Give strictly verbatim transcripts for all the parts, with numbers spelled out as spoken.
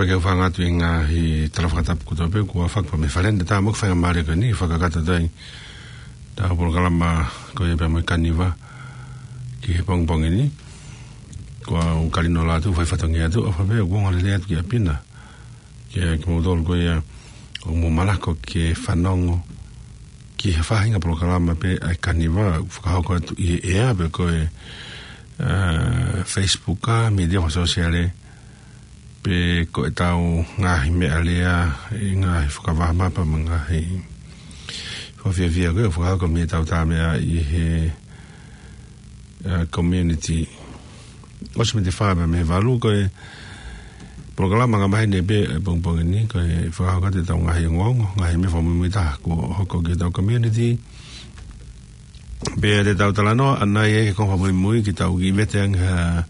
Ke u hūfanga atu ʻi he ngaahi tala fakatapu kotoa pē kuo fakahoko mei he fale ni, tā mo e faingamālie ko eni, fakakakato atu ai ʻetau polokalama ko ia pea mo e kaniva ki he pongipongi ni. Ko au Kalino Lātū, fai fatongia atu, ʻofa pē ʻoku ongo lelei atu ki ʻapi na. Kiate kimoutolu ko ia ʻoku mou malava ke fanongo ki he faʻahinga polokalama pē ʻa e kaniva, fakahoko atu ʻi he ʻea pe ko e, ā, Facebook ā, mītia fakasōsiale, pe ko ʻetau ngaahi meʻa lea, ʻi he ngaahi fakavahamapa mo e ngaahi fakafiefia ko ē ʻoku fakahoko mei heʻetau tā meʻa ʻi he, ā, community. ʻOsi mei he fā pea mei he valu ko e polokalama angamaheni pē ʻa e pongipongi ni, ko e fakahoko atu ʻetau ngaahi ongoongo, ngaahi meʻa fakamuimui taha kuo hoko ki heʻetau community. Pea te tau talanoa ʻanai ʻi he konga fakamuimui ke tau kiʻi vete ange ha,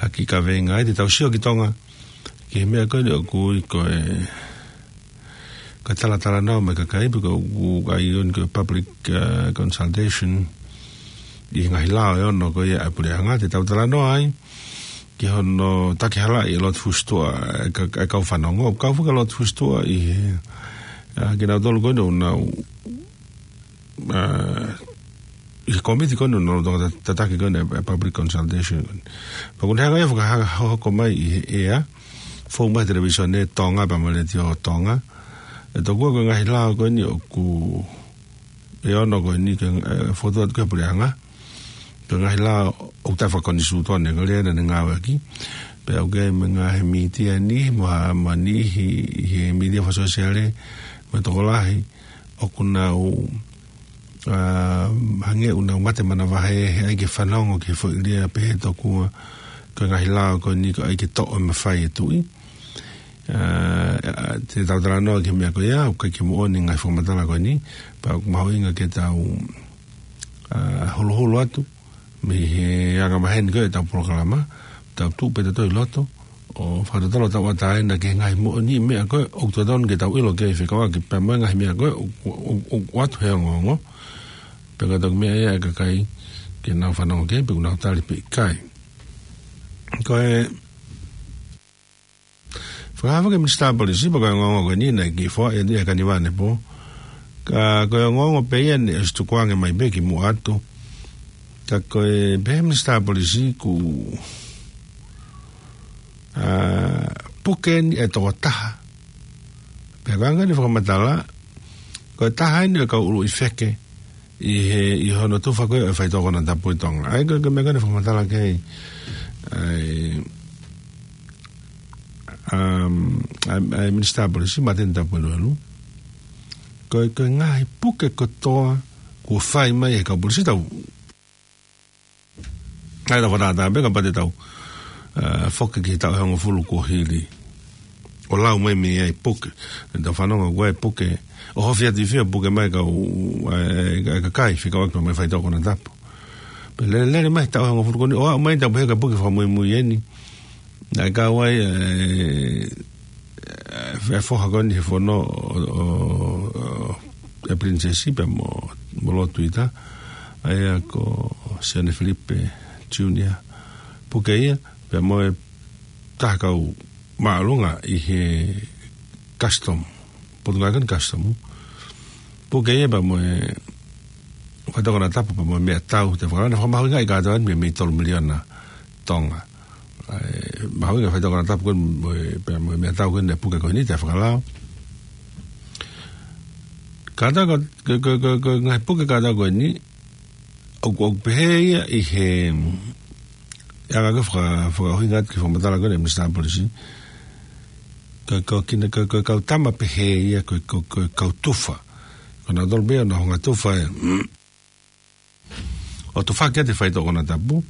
ha kiʻi kaveinga ai, te tau sio ki Tonga ki he meʻa ko eni ʻoku ui ko e, ko e talatalanoa mo e kakai, pe ko e ʻoku ui ko e public, ā, consultation ʻi he ngaahi lao ʻe ono ko ia ʻa e puleʻanga. Te tau talanoa ai ki hono takihalaʻi ʻe he lotu hustua ʻa e ka-, ʻa e kau fanongo, kau faka lotu hustua ʻi he, ā, kinautolu ko eni ʻoku nau ā, ʻi he kōmiti ko eni ʻoku nau lolotonga ta-, tataki ko eni ʻa e public consultation ko eni. Pea ʻoku ne hanga ia ʻo fakahoko mai ʻi he ʻea, fou mai he televīsone Tonga pea mo e Letiō Tonga. ʻE tokua ko e ngaahi lao ko eni ʻoku, ʻe ono ko eni ke, ē, fokotuʻu atu ki he puleʻanga. Ko e ngaahi lao ʻoku taʻefakakonisitūtone, ko e lea naʻa ne ngāueʻaki. Pea ʻoku ʻi ai mo e ngaahi mītia ni, mo ha, mo e niʻihi ʻi he mītia fakasōsiale, mo e tokolahi ʻoku nau, ā, hangē ʻoku nau mate manavahē he ʻai ke fanongo ki he foʻi lea pehē tokua ko e ngaahi lao ko eni ko e ʻai ke toʻo e mafai ʻa e tuʻi. Ā, ā, te tau talanoa ki he meʻa ko ia, ʻoku ʻikai ke moʻoni e ngaahi fakamatala ko eni, pea ʻoku mahuʻinga ke tau, ā, holoholo atu mei he angamaheni ko ē ʻetau polokalama, tau tuʻu pē tautolu ʻi loto ʻo fakatotolo ʻetau ʻatamai ki he ngaahi moʻoni meʻa ko ē ʻoku totonu ke tau ʻilo ki ai fekauʻaki pea mo e ngaahi meʻa ko ē ʻoku, ʻoku, ʻoku, ʻoku ʻoatu he ongoongo. Pea ka toki meʻa ia ʻa e kakai ke nau fanongo ki ai pe ʻoku nau tali pe ʻikai. Ko e fakahā foki ʻe he Minisitā Polisi, pea ko e ongoongo ko eni naʻe kiʻi foaʻi ʻe he kaniva ʻanepō. Ka ko e ongoongo pē ia naʻe ʻosi tukuange mai pē kimuʻa atu. Ka ko e pehē ʻe he Minisitā Polisi ʻoku, ā, puke eni ʻe he tokotaha. Pea ko e anga eni e fakamatala, ko e taha eni ʻo e kau ʻuluʻi feke ʻi he, ʻi hono tufa ko ē ʻo e faitoʻo konatapu ʻi Tonga. ʻA ia ko e, ko e meʻa ko eni ʻoku fakamatala ki ai ʻa e, um, ʻa e, ʻa e Minisitā Polisi, Māteni Tuipueluelu. Ko e, ko e ngaahi puke kotoa kuo fai mai ʻe he kau polisi, tau ʻai ʻetau fakatātā pē kapau te tau, ā, foki ki he taʻu ʻe hongofulu kuo hili ʻo lau mai mei ai e puke. Te tau fanongo ko e puke, ʻo hofi atu ʻi fē e puke mai e kau, ē, ē, kakai fekauʻaki mo e faitoʻo konatapu. Pea lele, lele mai he taʻu ʻe hongofulu ko eni, ʻo aʻu mai ʻetau pehē ko e puke fakamuimui eni. Naʻe kau ai, ē, ē, e foha ko eni he fono ʻo, ʻo, ʻo e Pilinisesi pea mo, mo Lord Tuita, ʻa ia ko Sione Filipe Junior. Puke ia, pea mo e taha kau māʻolunga ʻi he custom, Potungāue ko eni custom. Puke ia pea mo e faitoʻo konatapu pea mo e meʻatau, te fakalana fakamahuʻingaʻi kātoa eni mei, mei he tolu miliona Tonga. ʻA e, mahuʻinga e faitoʻo konatapu ko eni mo e, pea mo e meʻatau ko eni naʻe puke ko eni, te fakalao. Kātoa ko, ko, ko, ko, ko e ngaahi puke kātoa ko eni, ʻoku, ʻoku pehē ia ʻi he, ʻi he anga ko ē faka-, fakaʻuhinga atu ki he fakamatala ko eni ʻa e Minisitā Polisi. Ko, ko kina, ko, ko e kau tama pehē ia, ko, ko, ko e kau tufa. Ko nautolu pē ʻoku nau hanga ʻo tufa e, ʻo tufaki atu e faitoʻo konatapu,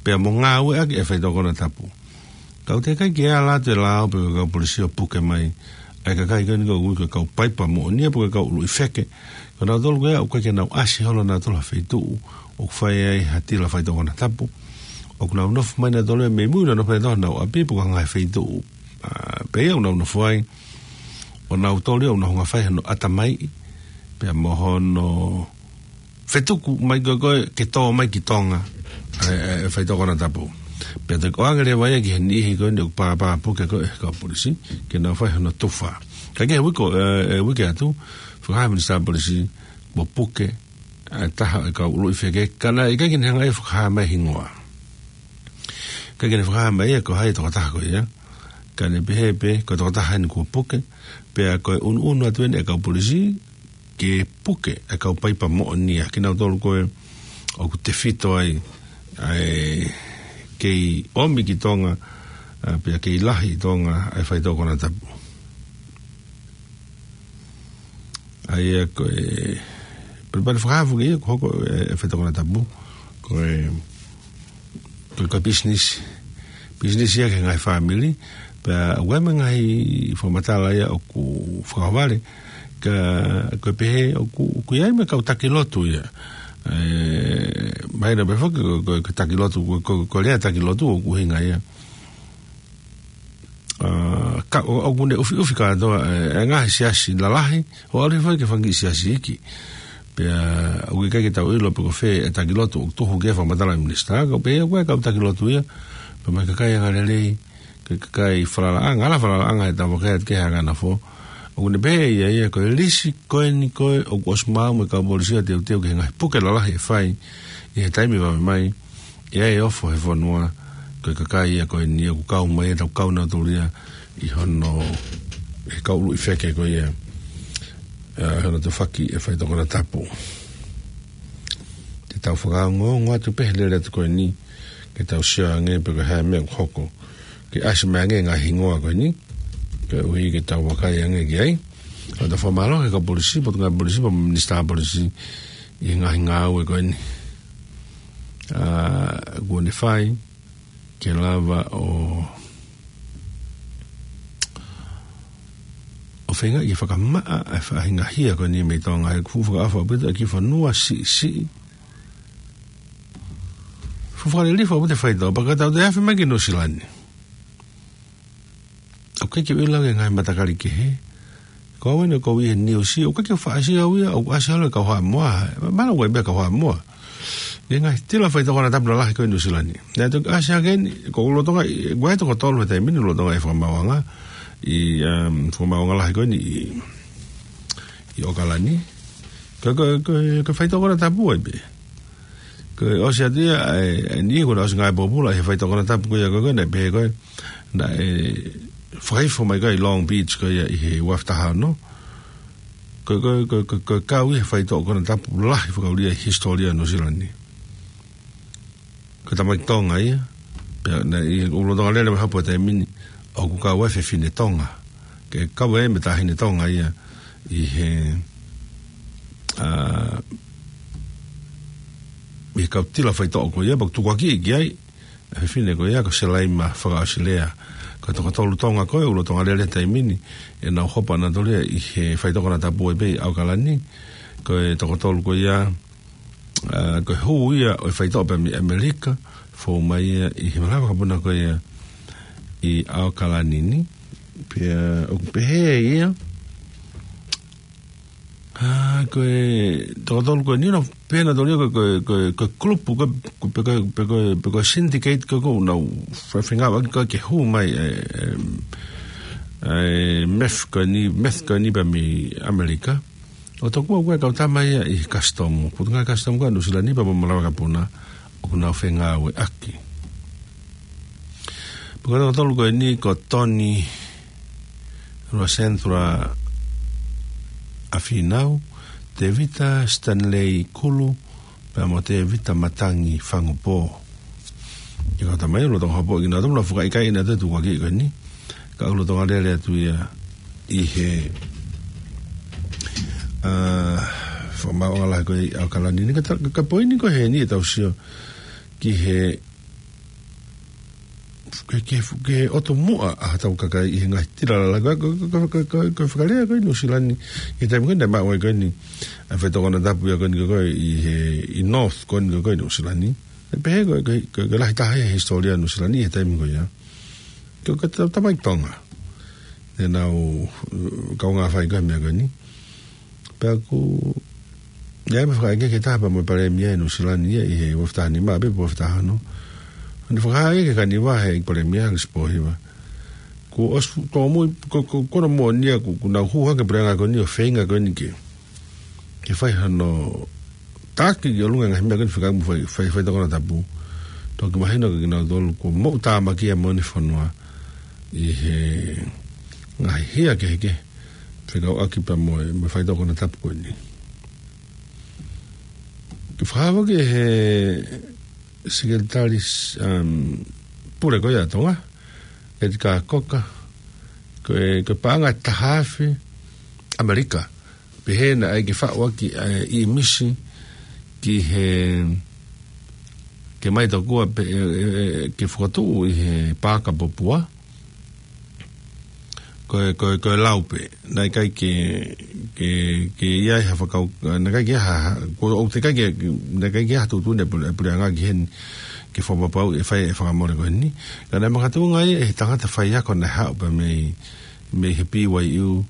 pea mo ngāueʻaki e faitoʻo konatapu. Ka ʻoku teʻeki ai ke ala atu e lao pe ko e kau polisi ʻo puke mai ʻa e kakai ko eni ʻoku ui ko e kau paipa moʻonia pe ko e kau ʻuluʻi feke. Ko nautolu ko ia ʻoku ʻikai ke nau ʻasi holo nautolu ha feituʻu ʻoku fai ai ha tila faitoʻo konatapu. ʻOku nau nofo mai nautolu ia mei mui, nau nofo mai nautolu honau ʻapi pe ko ha ngaahi feituʻu, ā, pē ia ʻoku nau nofo ai. ʻO nautolu ia ʻoku nau hanga ʻo fai hono ʻatamaiʻi pea mo hono fetuku mai ko ē ko ē ke tō mai ki Tonga ʻa e, ʻa e, ʻa e faitoʻo konatapu. Pea toki ʻoange leva ia ki he niʻihi ko eni ʻoku pāpā puke ko ē ʻe he kau polisi, ke nau fai hono tufa. Ka ki he uike, ē, ē, uike atu, fakahā ʻe he Minisitā Polisi, kuo puke ʻa e taha ʻo e kau ʻuluʻi feke, ka naʻe ʻikai ke ne hanga ʻe ia ʻo fakahā mai hingoa. ʻIkai ke ne fakahā mai ia ko hai e tokotaha ko ia. Ka ne pehē pē, ko e tokotaha eni kuo puke, pea ko e ʻunuʻunu atu eni ʻa e kau polisi, ke puke ʻa e kau paipa moʻonia, kinautolu ko ē ʻoku tefito ai, ʻa e kei ʻomi ki Tonga, ʻa, pea kei lahi ʻi Tonga, ʻa e faitoʻo konatapu. ʻA ia ko e, pea, pea fakahā foki ia, ko e hoko ʻa e, ʻa e faitoʻo konatapu, ko e, ko e, ko e business, business ia ki he ngaahi fāmili, pea ʻoku ʻi ai mo e ngaahi fakamatala ia ʻoku fakavale, ka, ko e pehē ʻoku, ʻoku ʻi ai mo e kau taki lotu ia. Ē, mahino pē foki, ko, ko, ko e taki lotu, ko, ko, ko e lea taki lotu ʻoku ʻuhinga ia. ʻA, ka, ʻo, ʻoku ne ʻufiʻufi kātoa, ē, ʻa e ngaahi siasi lalahi, ʻo ʻalu hifo ai ki he fanga kiʻi siasi iiki. Pea, ʻoku ʻikai ke tau ʻilo pe ko fē ʻa e taki lotu ʻoku tuhu ki ai e fakamatala ʻa e minisitā, ka pehē ʻoku ʻi ai e kau taki lotu ia, pea mo e kakai angalelei, ko e kakai falalaʻanga, ala falalaʻanga ʻe tau vakai atu ki he anga nafo. ʻOku ne pehē ia, ia ko e lisi ko eni ko ē ʻoku ʻosi maʻu mo e kau polisi ʻo teuteu ki he ngaahi puke lalahi ʻe fai ʻi he taimi vave mai, ʻi ai e ofo he fonua, ko e kakai ia ko eni ʻoku kau mai, ʻe tau kau nautolu ia ʻi hono, ʻi he kau ʻuluʻi feke ko ia, ē, hono tufaki e faitoʻo konatapu. Te tau fakaongoongo atu pē he lele atu ko eni, ke tau sio ange pe ko e hā e meʻa ʻoku hoko. Ke ʻasi mai ange e ngaahi hingoa ko eni, koeʻuhi ke tau vakai ange ki ai. Ka tau fakamālō ki he kau polisi, Potungāue Polisi, pea mo e Minisitā Polisi ʻi he ngaahi ngāue ko eni. ʻA, kuo ne fai, ke lava ʻo, ʻo feinga ke fakamaʻa ʻa e faʻahinga hia ko eni mei Tonga, he ʻoku fuʻu fakaʻofa ʻaupito ʻa e kiʻi fonua siʻisiʻi. Fuʻu fakalilifu ʻaupito e faitoʻo, pea ka tau toe afe mai ki Nuʻusila ni. ʻOku ʻikai ke u ʻilo ki he ngaahi matakali kehe. Ko au eni ʻoku ou ʻi he niusi, ʻoku ʻikai ke u faʻa sio au ia, ʻoku ʻasi holo e kau Haʻamoa. Mahalo ʻoku ʻi ai pē kau Haʻamoa. Ngaahi tila faitoʻo konatapu lalahi ko ē ʻi Nuʻusila ni. Naʻe toki ʻasi hake eni, ko e lolotonga, ʻi, ʻoku ʻi ai e toko tolu he taimi ni lolotonga e fakamaauʻanga. ʻI, um, fakamaauʻanga lahi ko eni ʻi, ʻi ʻAokalani. Ko, ko, ko, ko e faitoʻo konatapu ai pē. Ko e ʻosi atu ia, ʻa e, ʻa e niʻihi ko ē naʻe ʻosi ngāue pōpula he faitoʻo konatapu ko ia ko ē, naʻe pehē ko ē, naʻe fakaifo mai ko ē ʻi Long Beach ko ia ʻi he ua afe taha ono. Ko, ko, ko, ko, ko e kau ia he faitoʻo konatapu lahi fakaʻulia ʻi he hisitōlia ʻo Nuʻusila ni. Ko e tamaiki Tonga ia, pea naʻe ʻi he lolotonga lele mai hopo he taimi ni, ʻoku kau ai e fefine Tonga. Ke kau ai mo e taʻahine Tonga ia ʻi he, ʻa, ʻi he kau tila faitoʻo ko ia, pea ʻoku tukuakiʻi ki ai e fefine ko ia ko Selaima Fakaʻosilea. Ko e toko tolu Tonga ko ē ʻoku lolotonga lele he taimi ni, ʻenau hopo ʻanautolu ia ʻi he faitoʻo konatapu ai pē ʻi ʻAokalani. Ko e toko tolu ko ia, ʻa, ko e hū ia ʻo e faitoʻo pea mei ʻAmelika, fou mai ia ʻi he malava vakapuna ko ia ʻi ʻAokalani ni. Pea ʻoku pehē ia, ʻa, ko e toko tolu ko eni naʻe pehē nautolu ia ko e, ko e, ko e, ko e kulupu, ko e, ko e, pe ko e, pe ko e, pe ko e syndicate ko ē ʻoku nau fe-, fengāueʻaki ko ē ke hū mai e, e, e meth ko eni, meth ko eni pea mei ʻAmelika. ʻO tokua ko e kau tama ia ʻi he kasitomu, Potungāue Kasitomu ko ē ʻa Nuʻusila ni pea mo e malava vakapuna, ʻoku nau fengāueʻaki. Pea ko e toko tolu ko eni ko Tony Ruasensra ʻAfinau, Tevita Stanley Kulu, pea mo Tevita Matangi Fangupō. ʻI he kau tama ia, lolotonga hopo kinautolu, naʻe fuʻu ʻikai ʻi ai ha tukuakiʻi ko eni. Ka ʻoku lolotonga lele atu ia ʻi he, ʻa, fakamaauʻanga lahi ko ē ʻi ʻAokalani ni. Ka ta-, ka poini ko ē heni ʻetau sio ki he, ki he, ki he, ki he ʻotu muʻa ʻa hotau kakai ʻi he ngaahi tila lalahi. Ko, ko, ko e fakalea ko ē ʻi Nuʻusila ni, ʻi he taimi ko ē naʻe maʻu ai ko eni ʻa e faitoʻo konatapu ia ko eni ko ē ʻi he, ʻi North ko eni ko ē ʻi Nuʻusila ni. Naʻe pehē ko e, ko e, ko e, ko e lahi taha ia he hisitōlia ʻo Nuʻusila ni he taimi ko ia. Ko e, ko e ta-, tamaiki Tonga. Naʻa nau, ʻū, kaungā fai ko ē e meʻa ko eni. Pea ʻoku ʻi ai mo e fakaʻekeʻeke taha pea mo e palēmia ʻi Nuʻusila ni ia ʻi he ua afe taha nima pē pe ua afe taha ono. Ne fakahā ia ki he kaniva ʻe he ʻEiki Palēmia, Alex Pōhiva. Kuo ʻosi tōmui, ko, ko, ko hono moʻoni ia, kuo, kuo nau hū hake e puleʻanga ko eni ʻo feinga ko eni ke, ke fai hano taki ki ʻolunga e ngaahi meʻa ko eni fekauʻaki mo e fai, fai, faitoʻo konatapu. Toki mahino kiate kinautolu kuo moʻutāmaki ia moʻoni e fonua ʻi he ngaahi hia kehekehe fekauʻaki pea mo e, mo e faitoʻo konatapu ko eni. Ke fakahā foki ʻe he Sekelitali, um, Pule ko ia ʻa Tonga, Edgar Cocker, ko e, ko e paʻanga ʻe taha afe ʻAmelika, pehē naʻe ʻai ke faʻu ʻaki e ʻīmisi ki he, ke ʻomai tokua pē, e, e, e, ke fokotuʻu ʻi he Paaka Popua, ko e, ko e, ko e lau pē. Naʻe ʻikai ke, ke, ke ʻi ai ha fakau-, naʻe ʻikai ke ha, ha, ko e ʻoku teʻeki ai ke, naʻe ʻikai ke ha tuʻutuʻuni e pule-, e puleʻanga ki heni ke fakapapauʻi e fai e fakamole ko eni. Ka naʻe makatuʻunga ia ʻi he tangata faiako naʻe haʻu pē mei, mei he B Y U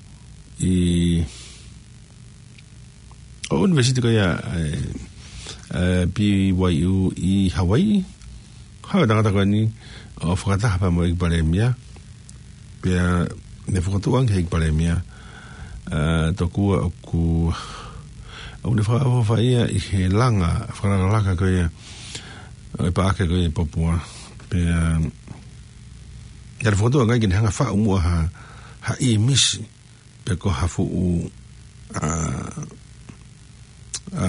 ʻi ʻo ʻunivēsiti ko ia, e, e, B Y U ʻi Hawaii. Haʻu e tangata ko eni ʻo fakataha pea mo e ʻEiki Palēmia. Pea ne fokotuʻu ange ʻe he ʻEiki Palēmia, e, tokua ʻoku, ʻoku ne fakaʻofoʻofa ia ʻi he langa, fakalakalaka ko ia ʻo e paʻake ko ia ʻi Popua. Pea, naʻa ne fokotuʻu ange ke ne hanga ʻo faʻu muʻa ha, ha ʻīmisi pe ko ha fuʻu, a, a,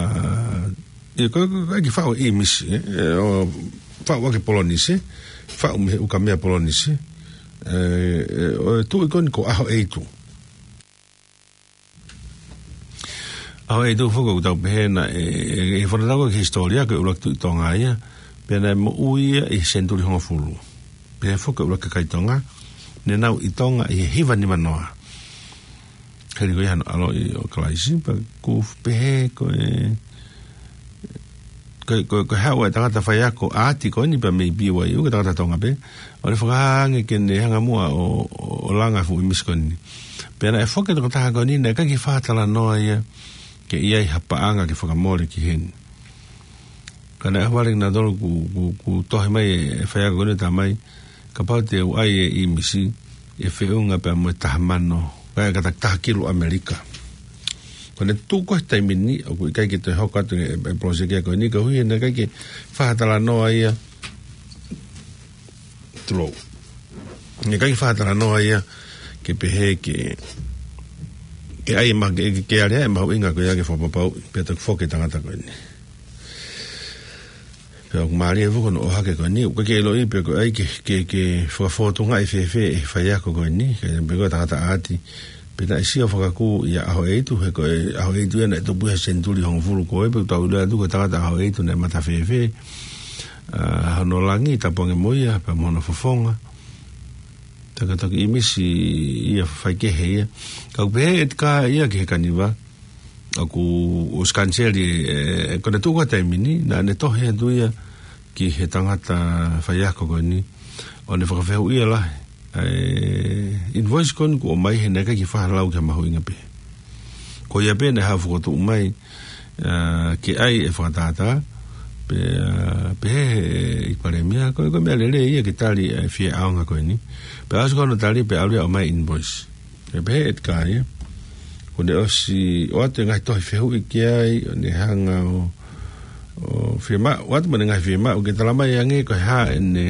ʻi ko, ko, ko e kiʻi faʻu ʻīmisi, e, e, ʻo faʻu ʻaki e Polenisia, faʻu mei he ukamea Polenisia, e, e, ʻo e tuʻi ko eni ko ʻAhoʻeitu. ʻAhoʻeitu foki ʻoku tau pehē naʻe, e, e, e fakatatau ki he hisitōlia ko e ʻuluaki tuʻi Tonga ia, pea naʻe moʻui ia ʻi he senituli hongofulu. Pehē foki ko e ʻuluaki kakai Tonga ne nau ʻi Tonga ʻi he hiva nima noa. Hili ko ia hano ʻaloʻi ʻo Kalaisi, pea ʻoku pehē ko e, ko e, ko e, ko e haʻu e tangata faiako ʻaati ko eni pea mei B Y U, ko e tangata Tonga pē, ʻo ne fakahā ange ke ne hanga muʻa ʻo, ʻo, ʻo langa e fuʻu ʻīmisi ko eni. Pea naʻe foki e tokotaha ko eni, naʻe ʻikai ke fakatalanoa ia ke ʻi ai ha paʻanga ke fakamole ki heni. Ka naʻe ʻohovale kinautolu kuo, kuo, kuo tohi mai e faiako ko eni ʻo talamai, kapau te u ʻai e ʻīmisi, ʻe feʻunga pea mo e taha mano, ka e kata taha kilu ʻAmelika. Ko ʻene tuʻu ko ē he taimi ni, ʻoku ʻikai ke toe hoko atu e, e, e poloseki ko eni, koeʻuhi naʻe ʻikai ke fakatalanoa ia, tulou. Naʻe ʻikai ke fakatalanoa ia ke pehē ke, ke ʻai ma-, ke, ke, ke ʻai e mahuʻinga ko ia ke fakapapauʻi pea toki foki e tangata ko eni. Pea ʻoku mālie foki hono ʻohake ko eni, ʻoku ʻikai ke ʻiloʻi pe ko e ʻai ke, ke, ke fakafōtungaʻi fēfē e faiako ko eni, ka ʻi ai pē ko e tangata ʻaati, pea naʻe sio fakakū ia ʻAhoʻeitu, he ko e ʻAhoʻeitu ia naʻe tupu he senituli hongofulu ko ē, pea ʻoku tau ʻilo atu ko e tangata ʻAhoʻeitu naʻe mata fēfē, a, hono langi, tapu ange mo ia, pea mo hono fofonga. Tangata toki ʻīmisi ia faikehe ia. Ka ʻoku pehē ʻe Edgar ia ki he kaniva, ʻoku ʻosi kaniseli, e, ko ʻene tuʻu ko ē he taimi ni, naʻa ne tohi atu ia ki he tangata faiako ko eni, ʻo ne fakafehuʻia lahi e invoice ko eni kuo ʻomai he naʻe ʻikai ke fakalau ki ha mahuʻinga pē. Ko ia pē naʻe haʻu fokotuʻu mai, a, ke ʻai e fakatātā, pea, pehē ʻe he ʻEiki Palēmia, ko e, ko e meʻa lelei ia ke tali e fie ʻaonga ko eni. Pea ʻosi ko hono tali pea ʻalu ia ʻo ʻomai e invoice. Pea pehē ʻe Edgar ia, kuo ne ʻosi ʻoatu e ngaahi tohi fehuʻi ki ai, ʻo ne hanga ʻo, ʻo fiemaʻu, ʻoatu mo ʻene ngaahi fiemaʻu ke talamai ange ko e hā ʻene,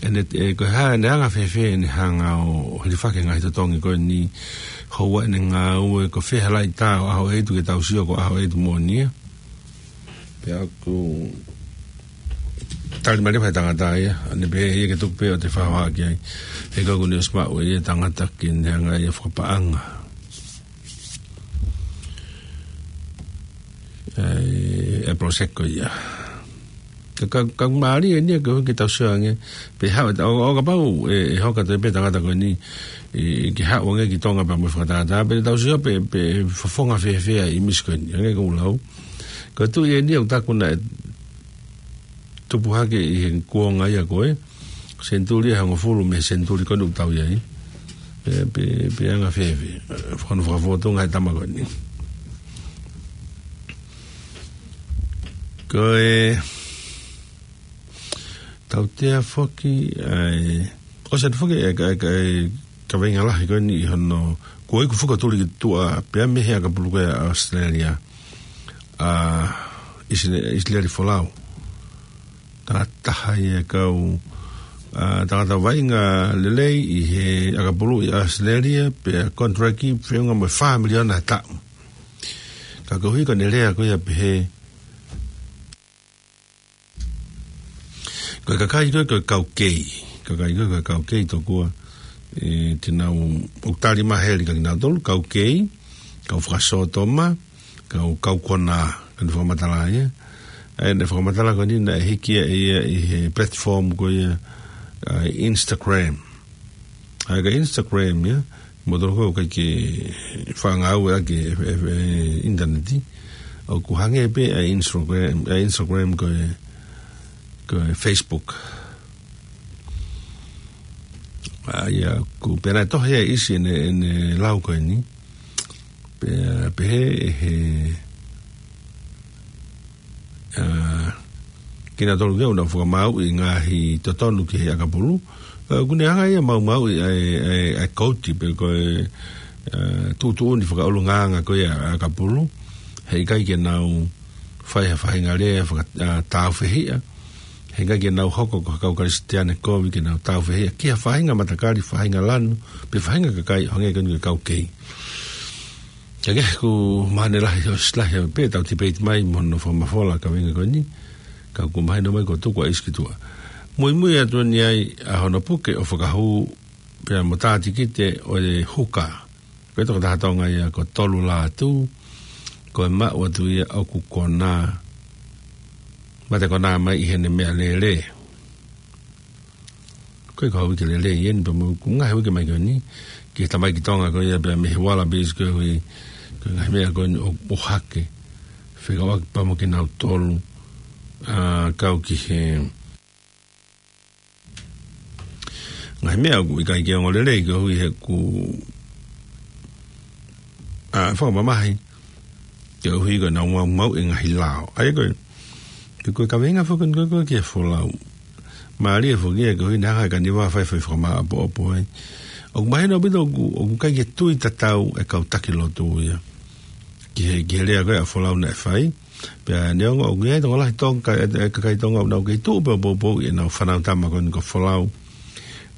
ʻene, e, ko e hā ʻene anga fēfē ʻene hanga ʻo, ʻo hilifaki e ngaahi totongi ko eni, houa ʻene ngāue, ko fē ha laʻitā ʻo ʻAhoʻeitu ke tau sio ko ʻAhoʻeitu moʻoni ia. Pea ʻoku tali mai leva ʻe he tangata ia, ʻa ʻene pehē ia ke tuku pē ʻo te fakahohaʻa ki ai. He ko ʻoku ne ʻosi maʻu ʻe ia e tangata ke ne hanga ia ʻo fakapaʻanga e, e poloseki ko ia. Ka, ka, ka mālie eni ia ke, ke tau sio ange, pe haʻu, ʻo, ʻo kapau ʻe, ʻe hoko atu pē tangata ko eni, ʻe, ke haʻu ange ki Tonga pea mo e fakatātā, pe tau sio pe, pe fofonga fēfē ʻa e ʻīmisi ko eni, ange ko e lau. Ko e tuʻi eni ʻoku taku naʻe tupu hake ʻi he kuonga ia ko ē, senituli ʻe hongofulu mei he senituli ko eni ʻoku tau ʻi ai. Pe, pe, pe anga fēfē, e, fakano fakafōtunga e tama ko eni. Ko e, Tautea foki, ʻa e, ʻosi atu foki e, e, e, kaveinga lahi ko eni ʻi hono, ko e ʻiku foki ʻo tuli ki tuʻa, pea mei he ʻakapulu ko ia ʻa ʻAositelēlia. ʻA, ʻIsile-, ʻIsileli Folau. Tangata taha ia ʻa e kau, ʻa, tangata vaʻinga lelei ʻi he ʻakapulu ʻi ʻAositelēlia, pea contract feʻunga mo e fā miliona ʻa e taʻu. Ka koeʻuhi ko ʻene lea ko ia pehē, ko e kakai ko ē ko e kau kei. Kakai ko ē ko e kau kei tokua, ʻe, te nau, ʻoku tali maheli kia kinautolu, kau kei, kau fakasōtoma, kau, kau konā, ko ʻene fakamatala ia. ʻA ia ʻene fakamatala ko eni naʻe hiki ia ʻi he platform ko ia, ʻa, Instagram. ʻA ia ko Instagram ia, mo tolo ko ē ʻoku ʻikai ke faʻa ngāueʻaki e, e, e, ʻinitaneti. ʻOku hangē pē ʻa Instagram, ʻa Instagram ko e, ko e Facebook. ʻA ia ʻoku pehē naʻe tohi ʻe ʻIsi ʻene, ʻene lau ko eni. Pea, pehē ʻe he, ʻa, kinautolu ke ʻoua naʻa fakamāuʻi e ngaahi totonu ki he ʻakapulu. ʻA, ʻoku ne hanga ia ʻo maumauʻi ʻa e, ʻa e, ʻa e kouti pe ko e, ʻa, tuʻutuʻuni fakaʻulungaanga ko ia ʻa e ʻakapulu. He ʻikai ke nau fai ha faʻahinga lea faka-, ʻa, tāufehiʻa. He ʻikai ke nau hoko ko ha kau Kalisitiane kovi ke nau tāufehiʻa ki ha faʻahinga matakali, faʻahinga lanu, pe faʻahinga kakai, hangē ko eni ko e kau kei. Ka ke, ʻoku mahino lahi, ʻosi lahi pē ʻetau tipeiti mai mo hono fakamafola kaveinga ko eni, ka ʻoku mahino mai kuo tuku ʻa ʻIsi ki tuʻa. Muimui atu eni ai ʻa hono puke ʻo fakahū pea mo tā tikite ʻo e huka. Ko e tokotaha Tonga ia ko Tolu Lātū, ko e maʻu atu ia ʻoku konā, mate konā mai ʻi heʻene meʻalele. Ko e kau uike lelei eni, pea mo e ʻū ngaahi uike mai ko eni, ki he tamaiki Tonga ko ia pea mei he Wallabies koeʻuhi, ko e ngaahi meʻa ko eni ʻo, ʻo hake. Fekauʻaki pea mo kinautolu, ʻa, kau ki he ngaahi meʻa ʻoku ʻikai ke ongo lelei koeʻuhi he ʻoku, ʻa, fakamamahi. Koeʻuhi ko ʻenau maumauʻi e ngaahi lao. ʻA ia ko e, ko e kaveinga foki ko ē ko ē ki he Folau. Mālie foki ia koeʻuhi naʻe hanga ʻe Kaniva ʻo fai, fai fakamāʻopoʻopo ai. ʻOku mahino ʻaupito ʻoku, ʻoku ʻikai ke tui tatau e kau taki lotu ia ki he, ki he lea ko ē ʻa Folau naʻe fai. Pea neongo ʻoku ʻi ai e tokolahi Tonga, e, e kakai Tonga ʻoku nau kei tuʻu pē ʻo poupou ʻenau fānau tama ko eni ko Folau.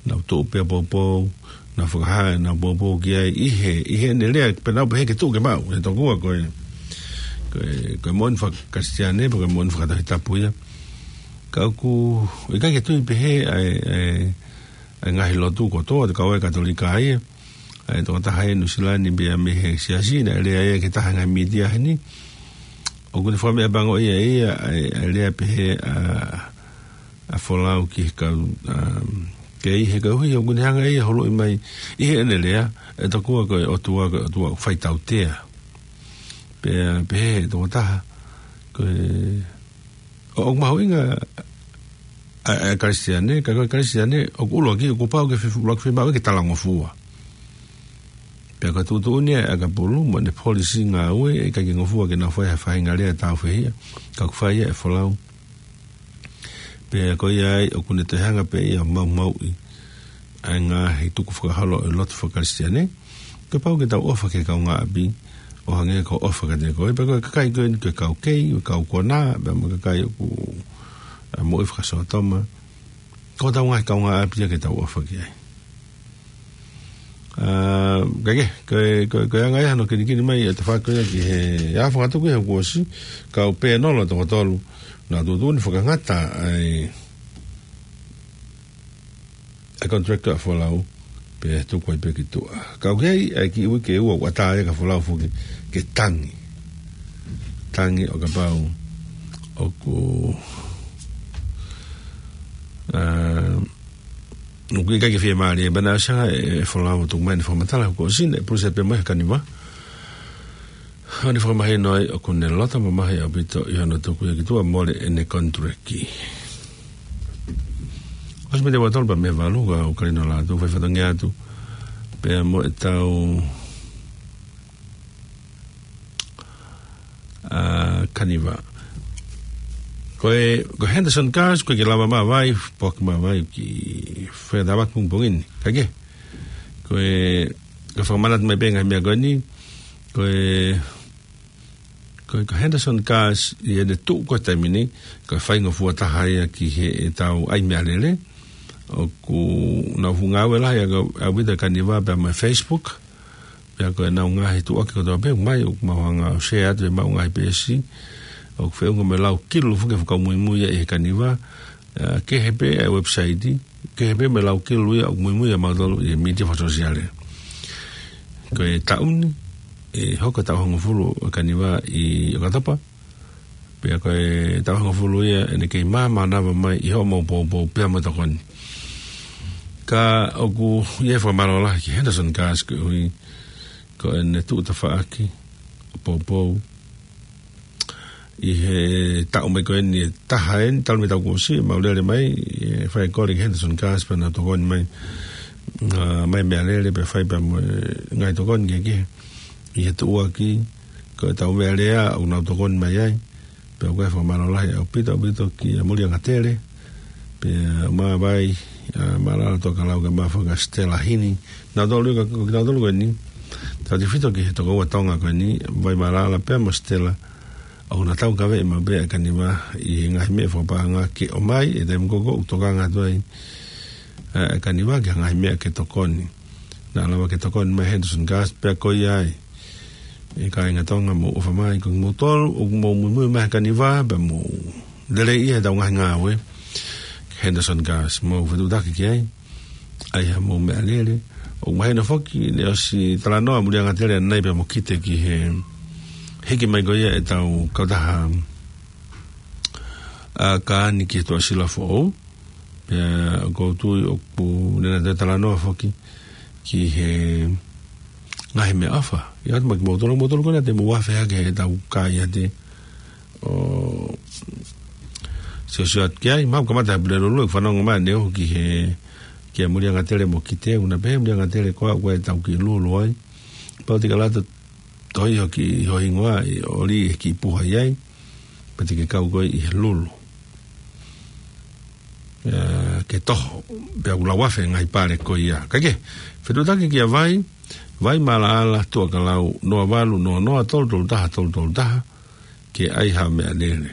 Nau tuʻu pē ʻo poupou, nau fakahā ʻenau poupou ki ai ʻi he, ʻi heʻene lea, pea nau pehē ke tuʻu ke maʻu, he tokua ko e, ko e, ko e moʻoni faka-Kalisitiane, pe ko e moʻoni faka-Tohi Tapu ia. Ka ʻoku ʻikai ke tui pehē ʻa e, ʻa e, ʻa e ngaahi lotu kotoa, ʻo kau ai e Katolika ia. ʻA e tokotaha ʻi Nuʻu Sila ni pea mei he siasi naʻe lea ia ki he taha e ngaahi mītia heni. ʻOku ne fakameʻapangoʻia ia, ʻa e, ʻa e lea pehē ʻa, ʻa Folau ki he kau, ʻa, kei he koeʻuhi ʻoku ne hanga ia ʻo huluʻi mai ʻi heʻene lea, ʻe tokua ko e ʻOtua, ko e ʻOtua ʻoku fai tautea. Pea, pehē ʻe he tokotaha, ko e, ʻo, ʻoku mahuʻinga ʻa, ʻa e Kalisitiane, ka ko e Kalisitiane, ʻoku ʻuluaki, ʻoku pau ke fe-, ʻuluaki fiemaʻu ke talangofua. Pea ko e tuʻutuʻuni ia ʻa e ʻakapulu, mo ʻene polisi ngāue, ʻe ʻikai ke ngofua ke nau fai ha faʻahinga lea tāufehiʻa, ka ʻoku fai ia ʻe Folau. Pea ko ia ai, ʻoku ne toe hanga pē ia ʻo maumauʻi ʻa e ngaahi tukufakaholo ʻo e lotu faka-Kalisitiane. Kuo pau ke tau ʻofa ki he kaungāʻapi, ʻo hangē ko hoʻo ʻofa kiate koe, pea ko e kakai ko eni ko e kau kei, ko e kau konā, pea mo e kakai ʻoku, ʻa, moʻui fakasōtoma. Ko hotau ngaahi kaungāʻapi ia ke tau ʻofa ki ai. ʻA, ka ke, ko e, ko e, ko e anga ia hono kinikini mai ʻa e tafaʻaki ko ia ki he, ʻa, fakatuku ia kuo ʻosi, kau pēnolo toko tolu, naʻa nau tuʻutuʻuni fakangata ai ʻa e contract ʻa Folau, pea tuku ai pē ki tuʻa. Ka ʻoku ʻi ai ʻa e kiʻi uike ʻe ua ʻoku ʻatā ai kia Folau foki ke tangi. Tangi ʻo kapau ʻoku, ʻa, ʻoku ʻikai ke fiemālie, pea naʻe ʻosi hanga ʻe, ʻe Folau ʻo tuku mai ʻene fakamatala, kuo ʻosi ʻene pulusa pē mai ʻa Kaniva. ʻO ne fakamahino ai ʻoku ne loto mamahi ʻaupito ʻi hono tuku ia ki tuʻa mole ʻene contract. ʻOsi mei he ua tolu pea mei he valu, ka ʻoku kau eni ʻo lātū, fai fatongia atu. Pea mo ʻetau, ʻa, Kaniva. Ko e, ko Henderson Gas, ko e ke lava mai vai, poki mai vai ki fea tava kung pongin. Ka ke, ko e, ko e fakamanatu mai pē ngaahi meʻa ko eni, ko e, ko e, ko Henderson Gas, ʻi heʻene tuʻu ko e taimi ni, ko e faingofua taha ia ki heʻetau ʻai meʻalele, ʻoku nau ngāue lahi ʻaupito ʻa Kaniva pea mo e Facebook, pea ko ʻenau ngaahi tuʻuaki kotoa pē, mai, ʻoku mau hanga ʻo share atu ʻemau ngaahi peesi, ʻoku feʻunga mo e lau kilu foki ʻoku fakamuimui ia ʻe he Kaniva, ʻa, kehe pē ʻa e website, kehe pē mo e lau kilu ia ʻoku muimui ʻa mautolu ʻi he mītia fakasōsiale. Ko e taʻu ni, ʻe hoko taʻu hongofulu ʻa Kaniva ʻi ʻOkatopa, pea ko e taʻu hongofulu ia ʻene kei mānava mai ʻi hoʻomou poupou pea mo e tokoni. Ka ʻoku ʻi ai e fakamālō lahi ki Henderson Gas koeʻuhi ko ʻene tuʻu tafaʻaki ʻo poupou ʻi he taʻu mai ko eni ʻe taha eni, talu mei he taʻu kuo ʻosi, mau lele mai, ʻe fai e kole ki Henderson Gas pea nau tokoni mai, ʻa, mai meʻalele pea fai pea mo e ngaahi tokoni kehekehe ʻi he tuʻuaki, ko ʻetau meʻalea ʻoku nau tokoni mai ai. Pea ʻoku ʻi ai e fakamālō lahi ʻaupito, ʻaupito kia Muliangatele, pea mo Vai, ʻa, Malala Tuʻakalau kae ʻumaʻā foki ʻa Stella Hini. Nautolu ia ka, ko kinautolu ko eni, tautefito ki he tokoua Tonga ko eni, Vai Malala pea mo Stella, ʻoku na taukaveʻi maʻu pē ʻa Kaniva ʻi he ngaahi meʻa fakapaʻanga ke ʻomai, ʻi he taimi ko ē ʻoku tokanga atu ai ʻa, ʻa Kaniva ki he ngaahi meʻa ke tokoni. Naʻa lava ke tokoni mai Henderson Gas pea ko ia ai. ʻE kāinga Tonga mou ʻofa mai, ko kimoutolu ʻoku mou muimui mai ʻa Kaniva, pea mou lelei ʻi heʻetau ngaahi ngāue, Henderson Gas, mou fetuʻutaki ki ai, ʻai haʻamou meʻalele. ʻOku mahino foki, naʻe ʻosi talanoa Muliangatele ʻanenai pea mo Kite ki he hiki mai ko ia ʻetau kautaha, ʻa, kaani ki he Tuʻasila Foʻou. Pea ʻoku ou tui ʻoku ne na te talanoa foki ki he ngaahi meʻaʻofa. ʻIo, atu mai kimoutolu, moutolu ko ena te mou afe hake heʻetau kai ʻiate ʻo siosio atu ki ai, mau kamata he Pulelulu, ʻeku fanongo mai ʻaneuhu ki he, kia Muliangatele mo Kite, ʻoku na pehē Muliangatele ko au ko ʻetau kiʻi lulu ai. Pau te ke lata tohi hoʻo kiʻi, ho hingoa ʻi ʻoli he kiʻi puha ʻi ai, pea te ke kau koe ʻi he lulu. ʻE, ke toho, pea ʻoku lau afe ngaahi pale ko ia. Ka ke, fetuʻutaki kia Vai, Vai Malaʻala Tuʻakalau, noa valu noa noa tolu tolu taha tolu tolu taha, ke ʻai haʻo meʻalele.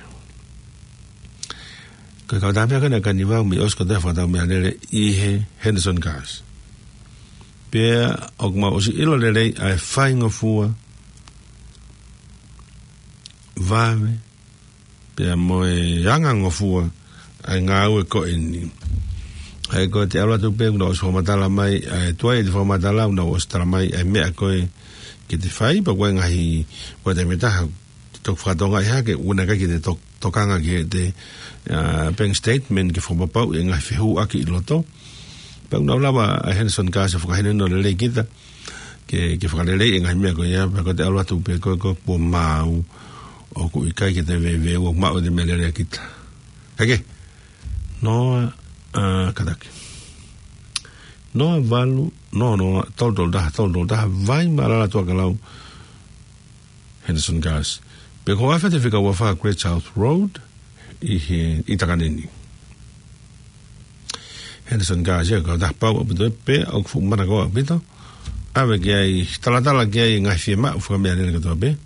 Ko e kautaha meʻa ko ena ʻa Kaniva ʻoku mei ʻosi kotoa e fakatau meʻalele ʻi he Henderson Gas. Pea ʻoku mau ʻosi ʻilo lelei ʻa e faingofua, vave, pea mo e angangofua ʻa e ngāue ko eni. ʻA ia ko e te ʻalu atu pē ʻoku nau ʻosi fakamatala mai, ʻa e tuai ʻete fakamatala ʻoku nau ʻosi tala mai ʻa e meʻa ko ē ke te fai, pea ko e ngaahi, ko e taimi ʻe taha, te toki fakatokangaʻi hake, ʻoua naʻa ʻikai ke te tok-, tokanga ki heʻete, ʻa, bank statement ke fakapapauʻi e ngaahi fehuʻaki ʻi loto. Pea ʻoku nau lava ʻa Henderson Gas ʻo fakahinohino lelei kita, ke, ke fakaleleiʻi e ngaahi meʻa ko ia, pea ko e te ʻalu atu pē ko e, ko e kuo maau, ʻoku ʻikai ke te veuveu, ʻoku maʻu ʻete meʻalele ʻa kita. Hake, noa, ʻa, kātaki. Noa valu, noa noa, tolu tolu taha, tolu tolu taha, Vai Malaʻala Tuʻakalau, Henderson Gas. Pea ko e afe te fika ua fā Great South Road, ʻi he, ʻi Takanini. Henderson Gas, ia, kautaha pau ʻaupito ē, pea ʻoku fuʻu mana ko ē ʻaupito. ʻAve ki ai, talatala ki ai ngaahi fiemaʻu fakameʻalele kotoa pē.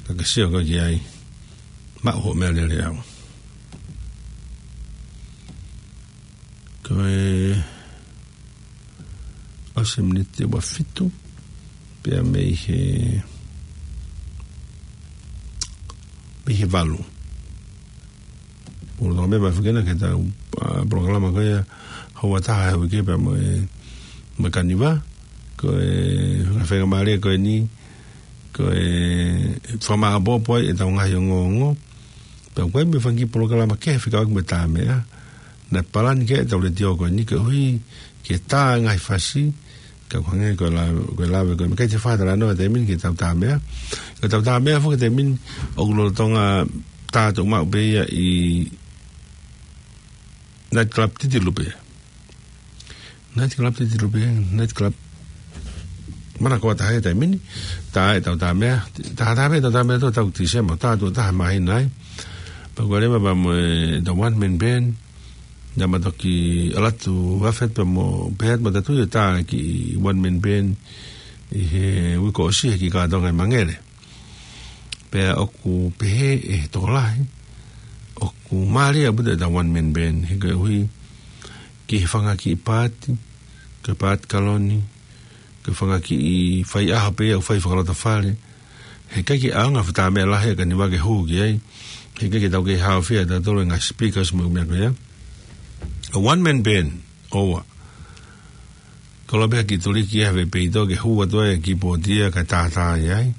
Ka ke sio koe ki ai, maʻu hoʻo meʻalele ʻe au. Ko e ʻosi e miniti ʻe ua fitu, pea mei he, mei he valu. Pulu tō me ma fukena ke tau, ʻa, polokalama ko ia, houa taha he uike pea mo e, mo e Kaniva, ko e, ngaahi faingamālie ko eni, ko e, fakamāʻopoʻopo ai ʻetau ngaahi ongoongo, pea ko e meʻa fanga kiʻi polokalama kehe fekauʻaki mo e tā meʻa, naʻe palani ke ʻetau letiō ko eni koeʻuhi ke tā e ngaahi fasi, ka ʻoku hangē ko e la-, ko e lave ko e meʻa ʻikai te fai ha talanoa he taimi ni ki heʻetau tā meʻa. Ko ʻetau tā meʻa foki he taimi ni ʻoku lolotonga tā tuʻumaʻu pē ia ʻi night club titilu pē. Night club titilu pē, night club. Mana ko ʻata he taimi ni, tā ʻetau tā meʻa, tā, tā meʻa, ʻetau tā meʻa tō tau Tīsema, tā tuʻo taha māhina ai. Pea ko e leva pea mo e, the one man band, naʻa ma toki ʻalu atu ʻo afe pea mo Pat mo tatui ʻo tā ki he one man band ʻi he uike kuo ʻosi he kiʻi kātoanga ʻi Mangere. Pea ʻoku pehē ʻe he tokolahi, ʻoku mālie ʻaupito e the one man band, he koeʻuhi ki he fanga kiʻi paati, ko e paati kaloni, ko e fanga kiʻi faiʻaho pē ia ʻoku fai fakalotofale. Heʻikai ke ʻaonga ha fuʻu meʻa lahi ʻa Kaniva ke hū ki ai. Heʻikai ke tau kei haofia ʻe tautolu e ngaahi speakers mo e meʻa ko ia. A one man band, ʻoua. Koloa pē ha kiʻi tuliki ia he peito ke hū atu ai e kīpooti ia kae tātā ai.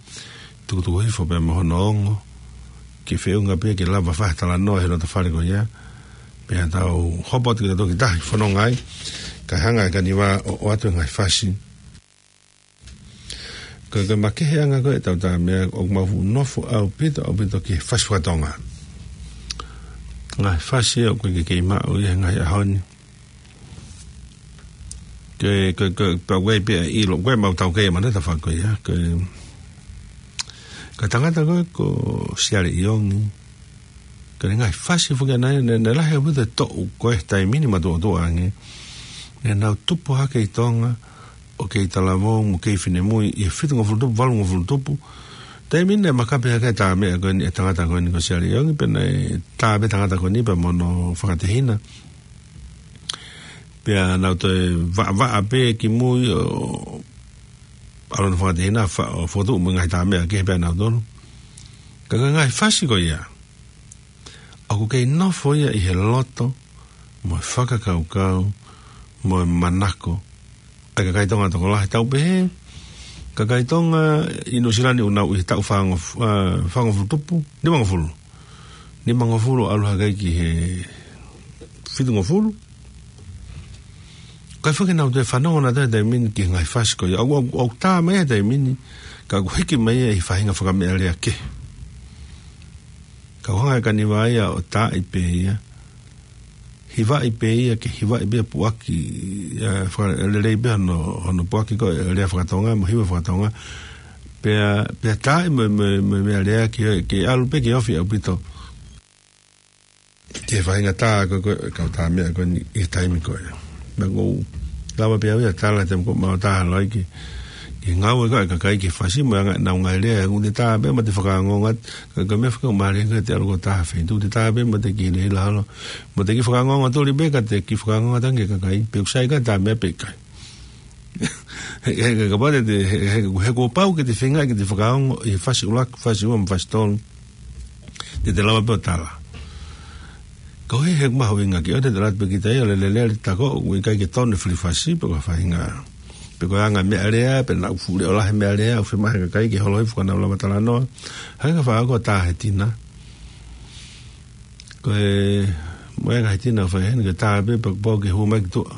Tukutuku hifo pē mo hono ongo. Ke feʻunga pē ke lava fai ha talanoa he lotofale ko ia. Pea tau hopo atu ki he toki tahi fononga ai. Kae hanga ʻe Kaniva ʻo, ʻoatu e ngaahi fasi. Ko e, ko e makeheʻanga ko e ʻetau tā meʻa ʻoku mau fuʻu nofo ʻaupito, ʻaupito ki he fasi fakatonga. Ngaahi fasi ʻoku ʻikai ke kei maʻu ia he ngaahi ʻaho ni. Ko e, ko e, ko e, pea ʻoku ʻi ai pē ʻa e ʻilo, ko e mau tau kei mana ta fako ia. Ko e, ko e tangata ko e, ko Siale ʻIongi. Ko e ngaahi fasi foki ʻana ia, naʻe, naʻe lahi ʻaupito e toʻu ko e taimi ni matuʻotuʻa ange. Naʻa nau tupu hake ʻi Tonga, ʻo kei talavou mo kei finemui, ʻi he fitungofulu tupu, valungofulu tupu. Taimi ni naʻe makape hake e tā meʻa ko eni ʻa e tangata ko eni ko Siale ʻIongi, pea naʻe tā pē tangata ko eni pea mo hono fakatehina. Pea nau toe vaʻavaʻa pē ki mui ʻo ʻalu hono fakatehina fa-, ʻo fokotuʻu mo e ngaahi tā meʻa kehe pē ʻanautolu. Ka ko e ngaahi fasi ko ia, ʻoku kei nofo ia ʻi he loto, mo e fakakaukau, mo e manako ʻa e kakai Tonga tokolahi, tau pehē, kakai Tonga ʻi Nuʻusila ni ʻoku nau ʻi he taʻu fāngof-, ā, fāngofulu tupu, nimangofulu. Nimangofulu ʻalu hake ki he fitungofulu. Kae fake nau toe fanongo nautolu he taimi ni ki he ngaahi fasi ko ia. ʻOku, ʻoku, ʻoku tā mai he taimi ni, ka ʻoku hiki mai ia ʻi he faʻahinga fakameʻalea kehe. Ka ʻoku hanga ʻe Kaniva ia ʻo taaʻi pē ia. Hivaʻi pē ia ke hivaʻi pē ia puʻaki, ā, fakalelei pē hono, hono puʻaki ko e lea fakatonga, mo e hiva fakatonga. Pea, pea taaʻi mo, mo, mo e meʻalea ke, ke ʻalu pē ke ofi ʻaupito ki he faʻahinga tā ko e, ko e kau tā meʻa ko eni ʻi he taimi ko ē. Pea ʻoku ou lava pē au ia ʻo tala he taimi ko ē ʻoku mau tā holo ai ki he, ki he ngāue ko e kakai ki he fasi mo e anga ʻenau ngaahi lea, ʻoku te tā pē mo te fakaongoongo atu, ko e, ko e meʻa fakaʻumaʻā ko e te ʻalu ko e tā ha feituʻu, te tā pē mo te kiʻi hilahila holo, mo te kiʻi fakaongoongo tuli pē ka te kiʻi fakaongoongo atu ange ki he kakai, pe ʻoku sai ka tā meʻa pe ʻikai. He, he, he, kapau te, he, he, he kuo pau ke te feinga ke te fakaongo ʻi he fasi ʻuluaki, fasi ua mo e fasi tolu. Te te lava pē ʻo tala. Ka ʻoku ʻikai ke mahuʻinga ke ʻoua te te lata pē kita ia ʻo lele, lele, lele, tā ko ē ʻoku ʻikai ke tonu e fili fasi, pe ko e faʻahinga, pe ko e anga meʻalea, pe naʻa ʻoku fuʻu leʻolahi meʻalea, ʻoku fiemaʻu he kakai ke holo hifo ka nau lava talanoa. Hangē ko e fakaako tā he tina. Ko e, mo e ngaahi tina ʻoku fai heni, ke tā pē, pea kuo pau ke hū mai ki tuʻa.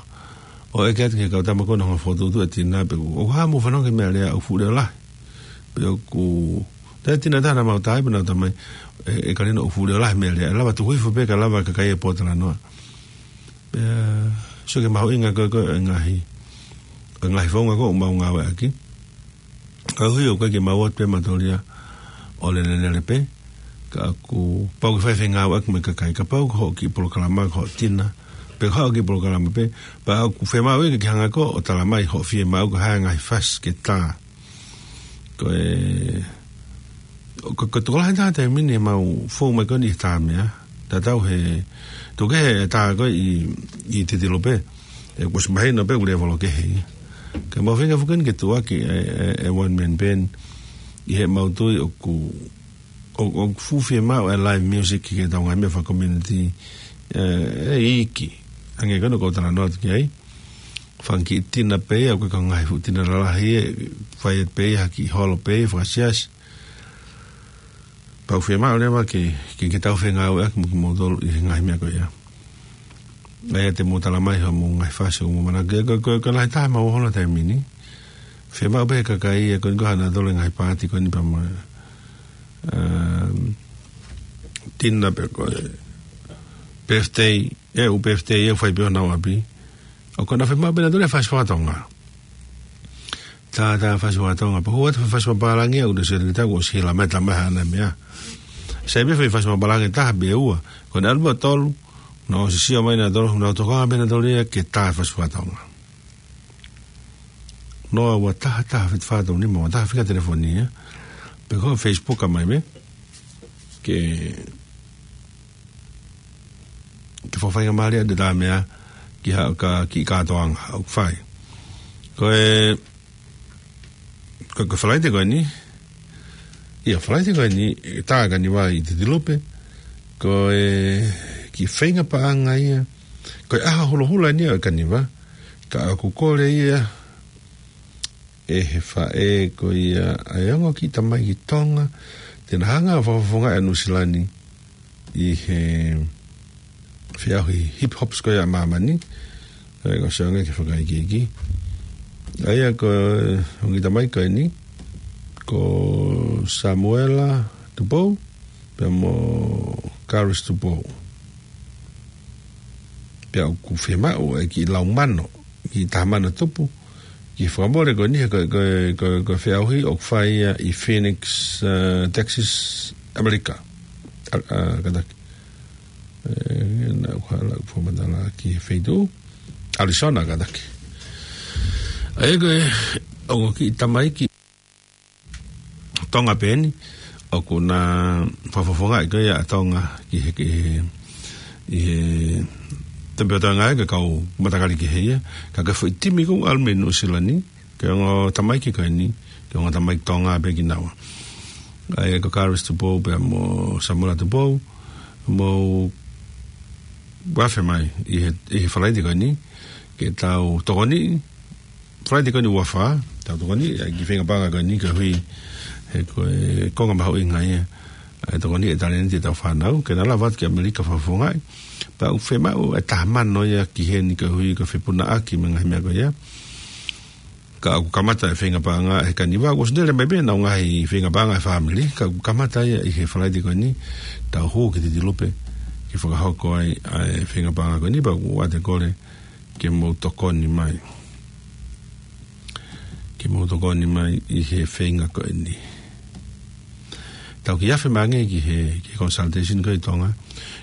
ʻO ʻeke atu ki he kau tama ko ē naʻa nau fokotuʻutuʻu e tina pe ʻoku, ʻoku hā mo fanongo ki he meʻalea ʻoku fuʻu leʻolahi. Pe ʻoku, tā e tina ʻe taha naʻa mau tā ai pea nau tā mai, ē, ʻe Kalino ʻoku fuʻu leʻolahi meʻalea, ʻe lava tuku hifo pē kae lava e kakai ʻo pōtalanoa. Pea, sio ki he mahuʻinga ko e, ko e ngaahi, ko e ngaahi founga ko ē ʻoku mau ngāueʻaki. Ka ʻoku ʻikai ke mau ō atu pē mautolu ia ʻo lele, lele pē. Ka ʻoku pau ke fai e fengāueʻaki mo e kakai, kapau ko hoʻo kiʻi polokalama, ko hoʻo tina, pe ko hoʻo kiʻi polokalama pē, pea ʻoku fiemaʻu ia ke ke hanga ko ē ʻo tala mai hoʻo fiemaʻu ko e hā e ngaahi fasi ke tā. Ko e, ko, ko e tokolahi taha taimi ni ʻe mau fou mai ko eni he tā meʻa, tatau he, tuku kehe e tā ko ē ʻi, ʻi Titilu pē, ʻoku ʻosi mahino pē ʻoku lēvolo kehe ia. Ka mau feinga foki eni ke tuʻuaki e, e, e one man band, ʻi heʻemau tui ʻoku, ʻo, ʻoku fuʻu fiemaʻu e live music ki heʻetau ngaahi meʻa faka-community, ē, ʻe iiki. Hangē ko eni ʻoku ou talanoa atu ki ai. Fanga kiʻi tina pē ia, ʻoku ʻikai ko e ngaahi fuʻu tina lalahi ē, fai pē ia ha kiʻi holo pē ia, fakasiasi. Pea ʻoku fiemaʻu leva ke, ke, ke tau fengāueʻaki mo kimoutolu ʻi he ngaahi meʻa ko ia. ʻA ia te mou tala mai hoʻomou ngaahi fasi ʻoku mou manako ki ai, ko, ko, ko e lahi taha ʻemau holo he taimi ni. Fiemaʻu pē he kakai ia ko eni ko ʻanautolu e ngaahi paati ko eni pea mo e, um, tina pe ko e birthday, ʻe ʻū birthday ia ʻoku fai pē ʻi honau ʻapi. ʻOku nau fiemaʻu pē ʻanautolu e fasi fakatonga. Tā, tā fasi fakatonga. Pea hū atu e fasi fakapālangi ia, ʻoku te sio atu ki he tā kuo ʻosi hila mai, tā mai haʻane meʻa. Sai pē foʻi fasi mapalagi ʻe taha pe ua. Ko ʻene ʻalu pē ʻo tolu, naʻa nau sio mai nautolu, naʻa nau tokanga pē nautolu ia ke tā e fasi fakatonga. Noa ua taha taha fitu fā tolu nima, ua taha fika telefoni ia. Pe ko Facebook ka mai me. Ke, ke fakafaingamālie ʻa e tā meʻa ki ha, ka, ki he kātoanga ʻoku fai. Ko e, ko, ko e Falaite ko eni, ʻia Falaite ko eni, tā e kaniva ʻi Titilupe, ko e kiʻi feinga paʻanga ia, ko e ʻaho hulohula eni ʻo e kaniva, ka ʻoku kole ia, ʻe he faʻē ko ia ʻa e ongo kiʻi tamaiki Tonga, te na hanga ʻo fakafofongaʻi ʻa Nuʻusila ni ʻi he feʻauhi hip hops ko ia ʻa māmani, ʻa ia ko Sionga ke fakaikiiki. ʻA ia ko e ongo kiʻi tamaiki ko eni, ko Samuela Tupou, pea mo Karis Tupou. Pea ʻoku fiemaʻu e kiʻi lau mano, kiʻi taha mano tupu, ki he fakamole ko eni, ko, ko, ko, ko e feʻauhi ʻoku fai ia ʻi Phoenix, uh, Texas, ʻAmelika. A, a, kātaki. E, naʻa ku hala ʻeku fakamatala ki he feituʻu, Arizona kātaki. ʻA ia ko e ongo kiʻi tamaiki Tonga pē eni, ʻoku na fakafofongaʻi ko ia ʻa Tonga ki he, ki he, ʻi he tempe ʻo Tonga ʻa e kau matakali kehe ia, ka ko e foʻi timi ʻoku ʻalu mei Nuʻusila ni, ko e ongo tamaiki ko eni, ko e ongo tamaiki Tonga pē kinaua. ʻA ia ko Karis Tupou pea mo Samuela Tupou, mou afe mai ʻi he, ʻi he Falaite ko eni, ke tau tokoniʻi, Falaite ko eni ua fā, tau tokoniʻi, ʻa e kiʻi feinga paʻanga ko eni koeʻuhi, he ko e konga mahuʻinga ia, ʻa e tokoniʻi e talēniti ʻetau fānau, ke na lava atu ki ʻAmelika fakafofongaʻi, pea ʻoku fiemaʻu e taha mano ia ki heni koeʻuhi ko e fepunaʻaki mo e ngaahi meʻa ko ia. Ka ʻoku kamata e feinga paʻanga he kaniva, ʻoku ʻosi lele mai pē ʻenau ngaahi feinga paʻanga e fāmili, ka ʻoku kamata ia ʻi he Falaite ko eni, tau hū ki Titilupe, ke fakahoko ai ʻa e feinga paʻanga ko eni, pea ʻoku ou ʻoatu e kole ke mou tokoni mai. Ke mou tokoni mai ʻi he feinga ko eni. Tau kiʻi afe mai ange ki he, ki he consultation ko ē ʻi Tonga.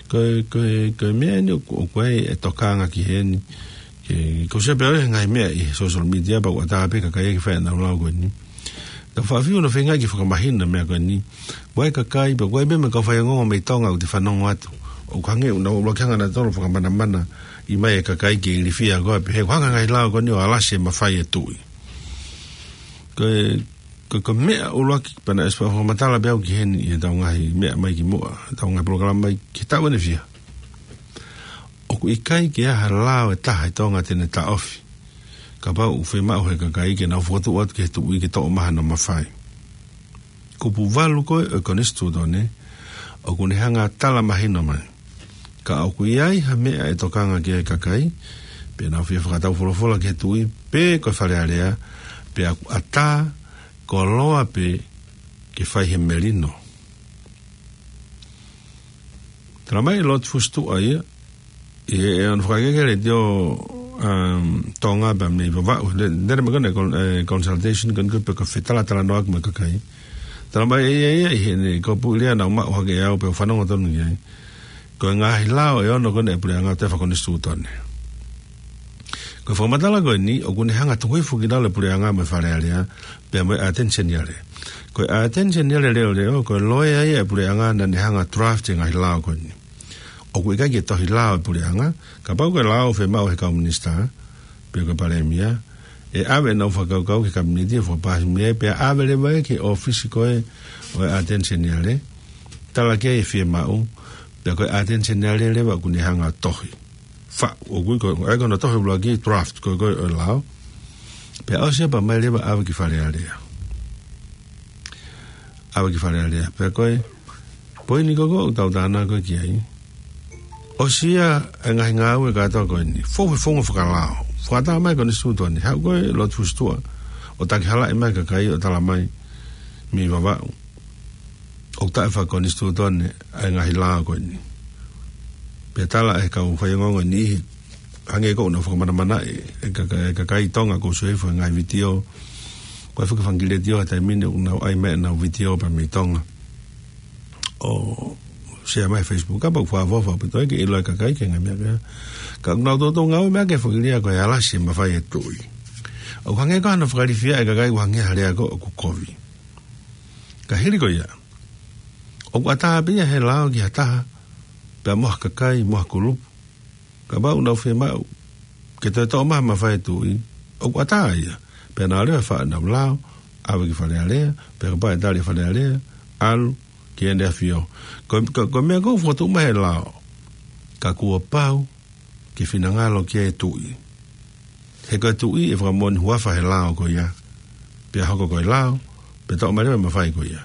Ko, ko, ko e meʻa eni ʻoku, ʻoku ʻi ai e tokanga ki heni. Ke, ko e sio pē ʻa e ngaahi meʻa ʻi he social media pea ʻoku ʻatā pē kakai ke fai ʻenau lau ko eni. Tau faʻa fiu ʻo feinga ke fakamahino e meʻa ko eni. Mo e kakai, pea ko e meʻa mo e kau faiongoongo mei Tonga ʻoku te fanongo atu. ʻOku hangē ʻoku nau ʻuluaki hanga nautolu ʻo fakamanamana ʻi mai e kakai ke ilifia ko ē pē he ʻoku hanga e ngaahi lao ko eni ʻo alasi e mafai e tuʻi. Ko e, ko, ko e meʻa ʻuluaki pea naʻe ʻosi fakamatala pē au ki heni ʻi heʻetau ngaahi meʻa mai ki muʻa, ʻetau ngaahi polokalama mai ki he taʻu ʻeni ʻe fiha. ʻOku ʻikai ke ʻi ai ha lao ʻe taha ʻi Tonga te ne taʻofi. Kapau ʻoku fiemaʻu he kakai ke nau fokotuʻu atu ki he tuʻi ke toʻo mai hano mafai. Kupu valu ko ē ʻo e Konisitūtone, ʻoku ne hanga ʻo tala mahino mai. Ka ʻoku ʻi ai ha meʻa ʻe tokanga ki ai e kakai, pea nau fie fakatau folofola ki he tuʻi, pe ko e Fale Alea, pea ʻoku ʻatā koloa pē ke fai he melino. Tala mai ʻe Lord Fusituʻa ia, ʻi he, ʻi hono fakahoko e letiō, um, Tonga pea mei Vavaʻu, le-, lele mai ko eni e con-, e consultation ko eni ko ē pe ko e fetalatalanoaʻaki mo e kakai. Tala mai ʻe ia ia ʻi heʻene kupuʻi lea naʻa ku maʻu hake ʻe au pea u fanongo tonu ki ai. Ko e ngaahi lao ʻe ono ko eni ʻa e puleʻanga ʻoku toe fakakonisitūtone. Ko e fakamatala ko eni, ʻoku ne hanga ʻo tuku hifo ki lalo e puleʻanga mo e Fale Alea, pea mo e ʻAteni Seniale. Ko e ʻAteni Seniale leʻoleʻo, ko e loea ia ʻa e puleʻanga naʻa ne hanga ʻo draft e ngaahi lao ko eni. ʻOku ʻikai ke tohi lao e puleʻanga, kapau ko e lao ʻoku fiemaʻu he kau minisitā, pe ko e palēmia, ʻe ʻave ʻenau fakakaukau ki he kapineti ʻo fakapaasi mei ai, pea ʻave leva ia ki he ʻōfisi ko ē ʻo e ʻAteni Seniale, tala ki ai e fiemaʻu, pea ko e ʻAteni Seniale leva ʻoku ne hanga ʻo tohi. Fa, ʻoku ui ko, ʻa ia ko hono tohi ʻuluaki draft ko ē ko ē ʻo e lao. Pea ʻosi ia pea mai leva ʻave ki Fale Alea. ʻAve ki Fale Alea. Pea ko e poini ko ē ʻoku tau tānaki ko ē ki ai. ʻOsi ia e ngaahi ngāue kātoa ko eni. Fou he founga fakalao. Fakaʻatā mai e Konisitūtone. Haʻu ko ē Lord Fusituʻa ʻo takihalaʻi mai e kakai ʻo tala mai mei Vavaʻu ʻoku taʻefakakonisitūtone ʻa e ngaahi lao ko eni. Pea tala ʻe he kau faiongoongo ʻe niʻihi, hangē ko ʻenau fakamanamanaʻi e kaka-, e kakai Tonga, ʻoku ou sio hifo he ngaahi vitiō. Ko e fakafangi letiō he taimi ni ʻoku nau ʻai mai ʻenau vitiō pea mei Tonga. ʻo share mai Facebook, kapau ʻoku fakaʻofoʻofa ʻaupito ke ʻilo ʻe he kakai ki he ngaahi meʻa ko ia. Ka ʻoku nau toutou ngāue mai ʻaki e foʻi lea ko e alasi e mafai ʻa e tuʻi. ʻOku hangē ko hano fakalilifu ʻa e kakai, ʻoku hangē ha lea ko ē ʻoku kovi. Ka hili ko ia, ʻoku ʻatā pē ia ʻe he lao ki ha taha, pea mo ha kakai, mo ha kulupu, kapau ʻoku nau fiemaʻu ke toe toʻo mai ha mafai ʻa e tuʻi, ʻoku ʻatā ia. Pea nau lea ʻo fai ʻenau lao, ʻave ki Fale Alea, pea kapau ʻe tali ʻe Fale Alea, ʻalu ki heʻene ʻAfio. Ko, ko, ko e meʻa ʻoku fokotuʻu mai ʻe he lao, ka kuo pau ke finangalo ki ai e tuʻi. He ko e tuʻi ʻe fakamoʻoni huafa he lao ko ia, pea hoko ko e lao, pea toʻo mai leva e mafai ko ia.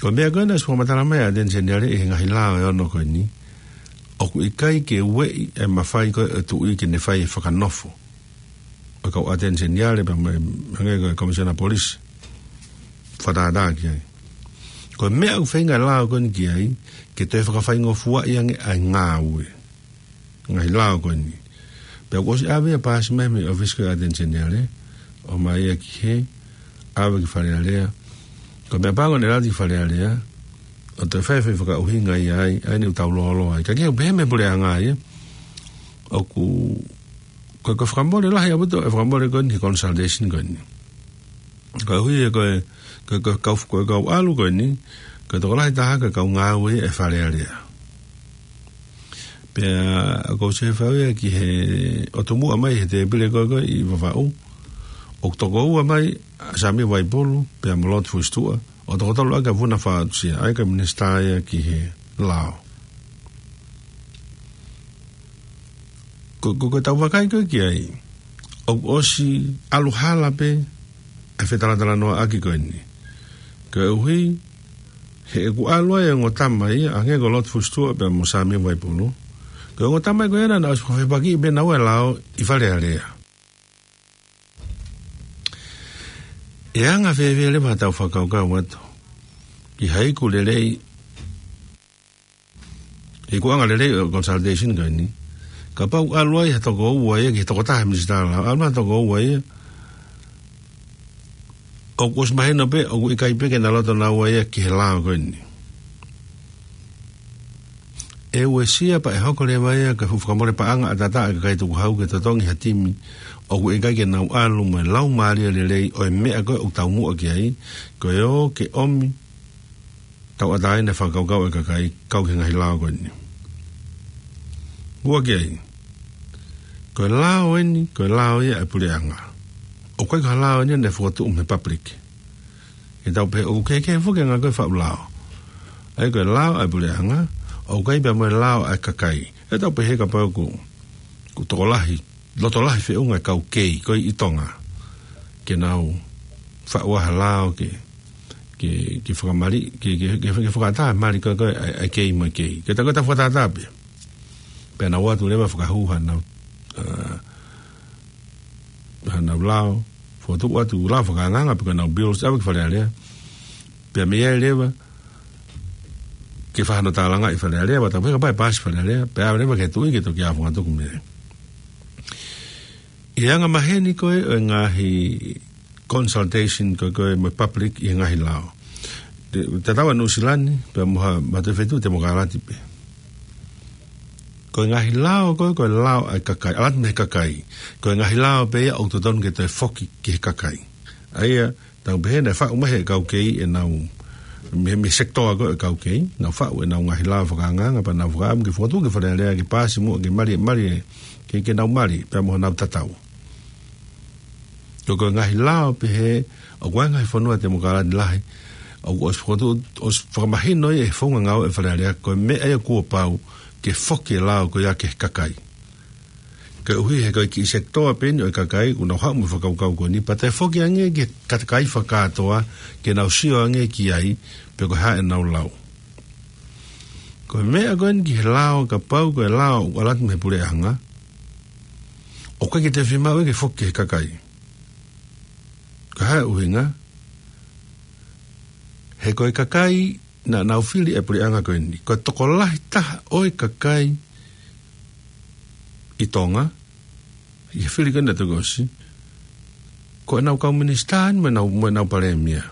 Ko e meʻa ko ē naʻe ʻosi fakamatala mai ʻe he ʻAteni Seniale ʻi he ngaahi lao ʻe ono ko eni, ʻoku ʻikai ke ueʻi e mafai ko ē ʻo e tuʻi ke ne fai e fakanofo ʻo e kau ʻAteni Seniale pea mo e, hangē ko e Komisiona Polisi. Fakatātā ki ai. Ko e meʻa ʻoku feinga e lao ko eni ki ai, ke toe fakafaingofuaʻi ange ʻa e ngāue. Ngaahi lao ko eni. Pea kuo ʻosi ʻave ia, paasi mai mei he ʻōfisi ko ē ʻo e ʻAteni Seniale, ʻomai ia ki hē, ʻave ki Fale Alea. Ko e meʻapango naʻe ʻalu atu ki Fale Alea, ʻo toe fai e foʻi fakaʻuhinga ia ai, ʻa eni ʻoku tau lōloa ai. Ka ʻoku pehē mei he puleʻanga ia, ʻoku, ko e, ko e fakamole lahi ʻaupito e fakamole ko eni he consultation ko eni. Koeʻuhi he ko e, ko e, ko e kau, ko e kau ʻalu ko eni, ko e tokolahi taha ko e kau ngāue ʻa e Fale Alea. Pea ʻoku ou sio he fau ia ki he ʻotu muʻa mai he tēpile ko ē ko ē ʻi Vavaʻu, ʻoku toko ua mai ʻa Sami Vaipulu, pea mo Lord Fusitua, ʻo toko tolu ʻa e kau Vuna Fatusia, ʻa e kau minisitā ia ki he lao. Ko, ko, ko ʻetau vakai ko ē ki ai, ʻoku ʻosi ʻalu hala pē ʻa e fetalatalanoaʻaki ko eni. Koeʻuhi he ʻoku ʻalu ai e ongo tama ia, hangē ko Lord Fusitua pea mo Sami Vaipulu. Ko e ongo tama ia ko ē naʻa nau ʻosi fakafepakiʻi pē naua e lao ʻi Fale Alea. ʻE anga fēfē leva haʻatau fakakaukau atu ki ha iku lelei, ikuʻanga lelei ʻo e consultation ko eni? Kapau ʻoku ʻalu ai ha toko ua ia ki he tokotaha minisitā lao, ʻalu ai ha toko ua ia, ʻoku ʻosi mahino pē ʻoku ʻikai pē ke na loto naua ia ki he lao ko eni. ʻE uesia pea ʻe hoko leva ia ko e fuʻu fakamole paʻanga ʻataʻatā ʻa e kakai tukuhau ke totongi ha timi ʻoku ʻikai ke nau ʻalu mo e laumālie lelei ʻo e meʻa ko ē ʻoku taumuʻa ki ai, ko e ō ke ʻomi tauʻatāina e fakakaukau ʻa e kakai kau ki he ngaahi lao ko eni. Ua ki ai, ko e lao eni, ko e lao ia ʻa e puleʻanga. ʻOku ʻikai ko ha lao eni naʻe fokotuʻu mei he public. ʻE tau pehē ʻoku kehekehe foki e anga ko ē e faʻu lao. ʻA ia ko e lao ʻa e puleʻanga, ʻoku ʻikai pea mo e lao ʻa e kakai. ʻE tau pehē kapau ʻoku, ʻoku tokolahi, loto lahi feʻunga e kau kei ko ē ʻi Tonga ke nau faʻu ha lao ke, ke, ke fakamali, ke, ke, ke, ke fakaʻatā e mali ko ē ko ē ʻa e, ʻa e kei mo e kei. Ke ta, ko ʻetau fakatātā pē. Pea nau ō atu leva ʻo fakahū hanau, ā, hanau lao, fokotuʻu atu lao fakaangaanga pe ko ʻenau bills, ʻave ki Fale Alea. Pea mei ai leva ke fai hano tālangaʻi ʻi Fale Alea, pea tau pehē kapau ʻe paasi ʻi Fale Alea, pea ʻave leva ki he tuʻi ke toki ʻalu ʻo fakatuku mei ai. ʻI he anga maheni ko ē ʻo e ngaahi consultation ko ē ko ē mo e public ʻi he ngaahi lao. Te, tatau ʻa Nuʻusila ni pea mo ha, mo ha toe feituʻu temokalati pē. Ko e ngaahi lao ko ē, ko e lao ʻa e kakai, ʻalu atu mei he kakai. Ko e ngaahi lao pē ia ʻoku totonu ke toe foki ki he kakai. ʻA ia, tau pehē naʻe faʻu mai ʻe he kau kei ʻenau, mei, mei he sekitoa ko ē ʻo e kau kei, nau faʻu ʻenau ngaahi lao fakaangaanga pea nau fakaʻamu ke fokotuʻu ki Fale Alea ke paasi muʻa ke mali, mali, ke, ke nau mali, pea mo honau tatau. Ko, ko e ngaahi lao pehē, ʻoku ʻi ai e ngaahi fonua temokalati lahi, ʻoku ʻosi fokotuʻu, ʻosi fakamahino ia ʻe he founga ngāue ʻa e Fale Alea, ko e meʻa ia kuo pau ke foki e lao ko ia ki he kakai. Koeʻuhi he ko e kiʻi sekitoa pē eni ʻo e kakai ʻoku nau haʻu mo e fakakaukau ko eni, pea toe foki ange ki he kakai fakakātoa ke nau sio ange ki ai, pe ko e hā ʻenau lau. Ko e meʻa ko eni ki he lao, kapau ko e lao ʻoku ʻalu atu mei he puleʻanga, ʻoku ʻikai ke toe fiemaʻu ia ke foki ki he kakai. Ko e hā e ʻuhinga? He ko e kakai naʻa nau fili e puleʻanga ko eni, ko e tokolahi taha ʻo e kakai ʻi Tonga, ʻi he fili ko eni naʻe toki ʻosi, ko ʻenau kau minisitā ni mo ʻenau, mo ʻenau palēmia.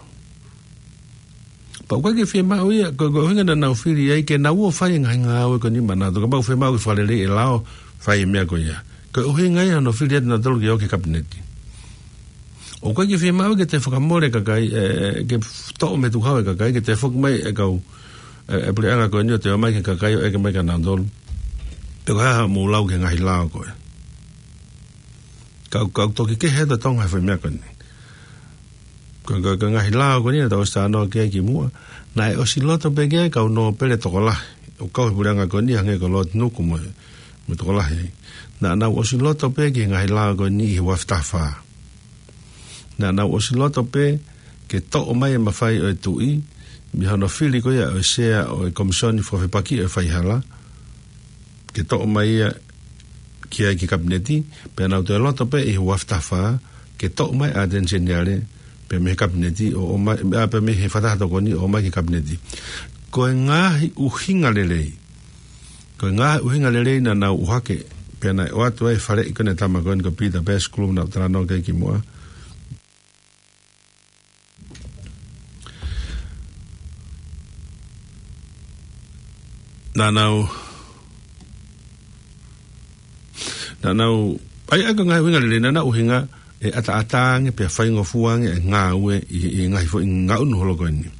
Pea ʻoku ʻikai ke fiemaʻu ia, ko, ko e ʻuhinga naʻa nau fili ai ke nau ō ʻo fai e ngaahi ngāue ko eni maʻanautolu, kapau ʻoku fiemaʻu ke fakalelei e lao, fai e meʻa ko ia. Ko e ʻuhinga ia hono fili atu nautolu ke ō ki he kapineti. ʻOku ʻikai ke fiemaʻu ke toe fakamole e kakai, ē, ke toʻo mei he tukuhau e kakai, ke toe foki mai e kau, ē, e puleʻanga ko eni ʻo toe ō mai ki he kakai ʻo ʻeke mai kia nautolu. Pe ko e hā haʻamou lau ki he ngaahi lao ko ē. Kau, kau toki kehe atu ʻa Tonga he foʻi meʻa ko eni. Ko, ko, ko e ngaahi lao ko eni naʻa tau ʻosi talanoa ki ai kimuʻa. Naʻe ʻosi loto pē ki ai e kau nōpele tokolahi. ʻOku kau he puleʻanga ko eni hangē ko Lord Nuku mo, mo e tokolahi ai. Naʻa nau ʻosi loto pē ki he ngaahi lao ko eni ʻi he ua afe taha fā. Naʻa nau ʻosi loto pē ke toʻo mai e mafai ʻo e tuʻi, mei hono fili ko ia ʻo e sea ʻo e Komisoni Fakafepakiʻi ʻo e Faihala, ke toʻo mai ia ki ai ki he kapineti, pea nau toe loto pē ʻi he ua afe taha fā, ke toʻo mai ʻa e ʻAteni Seniale, pea mei he kapineti, ʻo, ʻo mai, ʻa, pea mei he Fakataha Tokoni, ʻo mai ki he kapineti. Ko e ngaahi ʻuhinga lelei. Ko e ngaahi ʻuhinga lelei naʻa nau ʻuhake, pea naʻe ʻoatu ai e faleʻi ko eni ʻa e tama ko eni ko Pita Pettigrew naʻa ku talanoa ki ai kimuʻa. Naʻa nau, naʻa nau, ʻa ia, ʻa ia ko e ngaahi ʻuhinga lelei naʻa nau ʻuhinga ʻe ʻataʻatā ange pea faingofua ange e ngāue ʻi, ʻi he ngaahi foʻi ngaʻunu holo ko eni.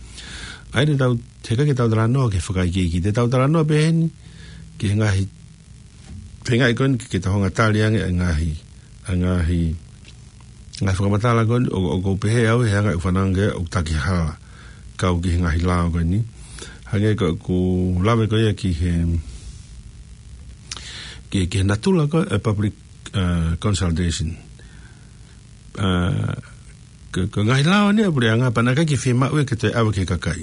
ʻA ia te tau, heʻikai ke tau talanoa ki he fakaikiiki, te tau talanoa pē heni ki he ngaahi feingaʻi ko eni ke, ke tau hanga ʻo tali ange e ngaahi, e ngaahi, ngaahi fakamatala ko eni, ʻo, ʻoku ou pehē au he anga ʻeku fanongo ki ai ʻoku taki hala kau ki he ngaahi lao ko eni. Hangē ko ʻeku lave ko ia ki he, ki, ki he natula ko ē e public, uh, consultation. Uh, ko, ko e ngaahi lao eni ʻa e puleʻanga pea naʻe ʻikai ke fiemaʻu ia ke toe ʻave ki he kakai.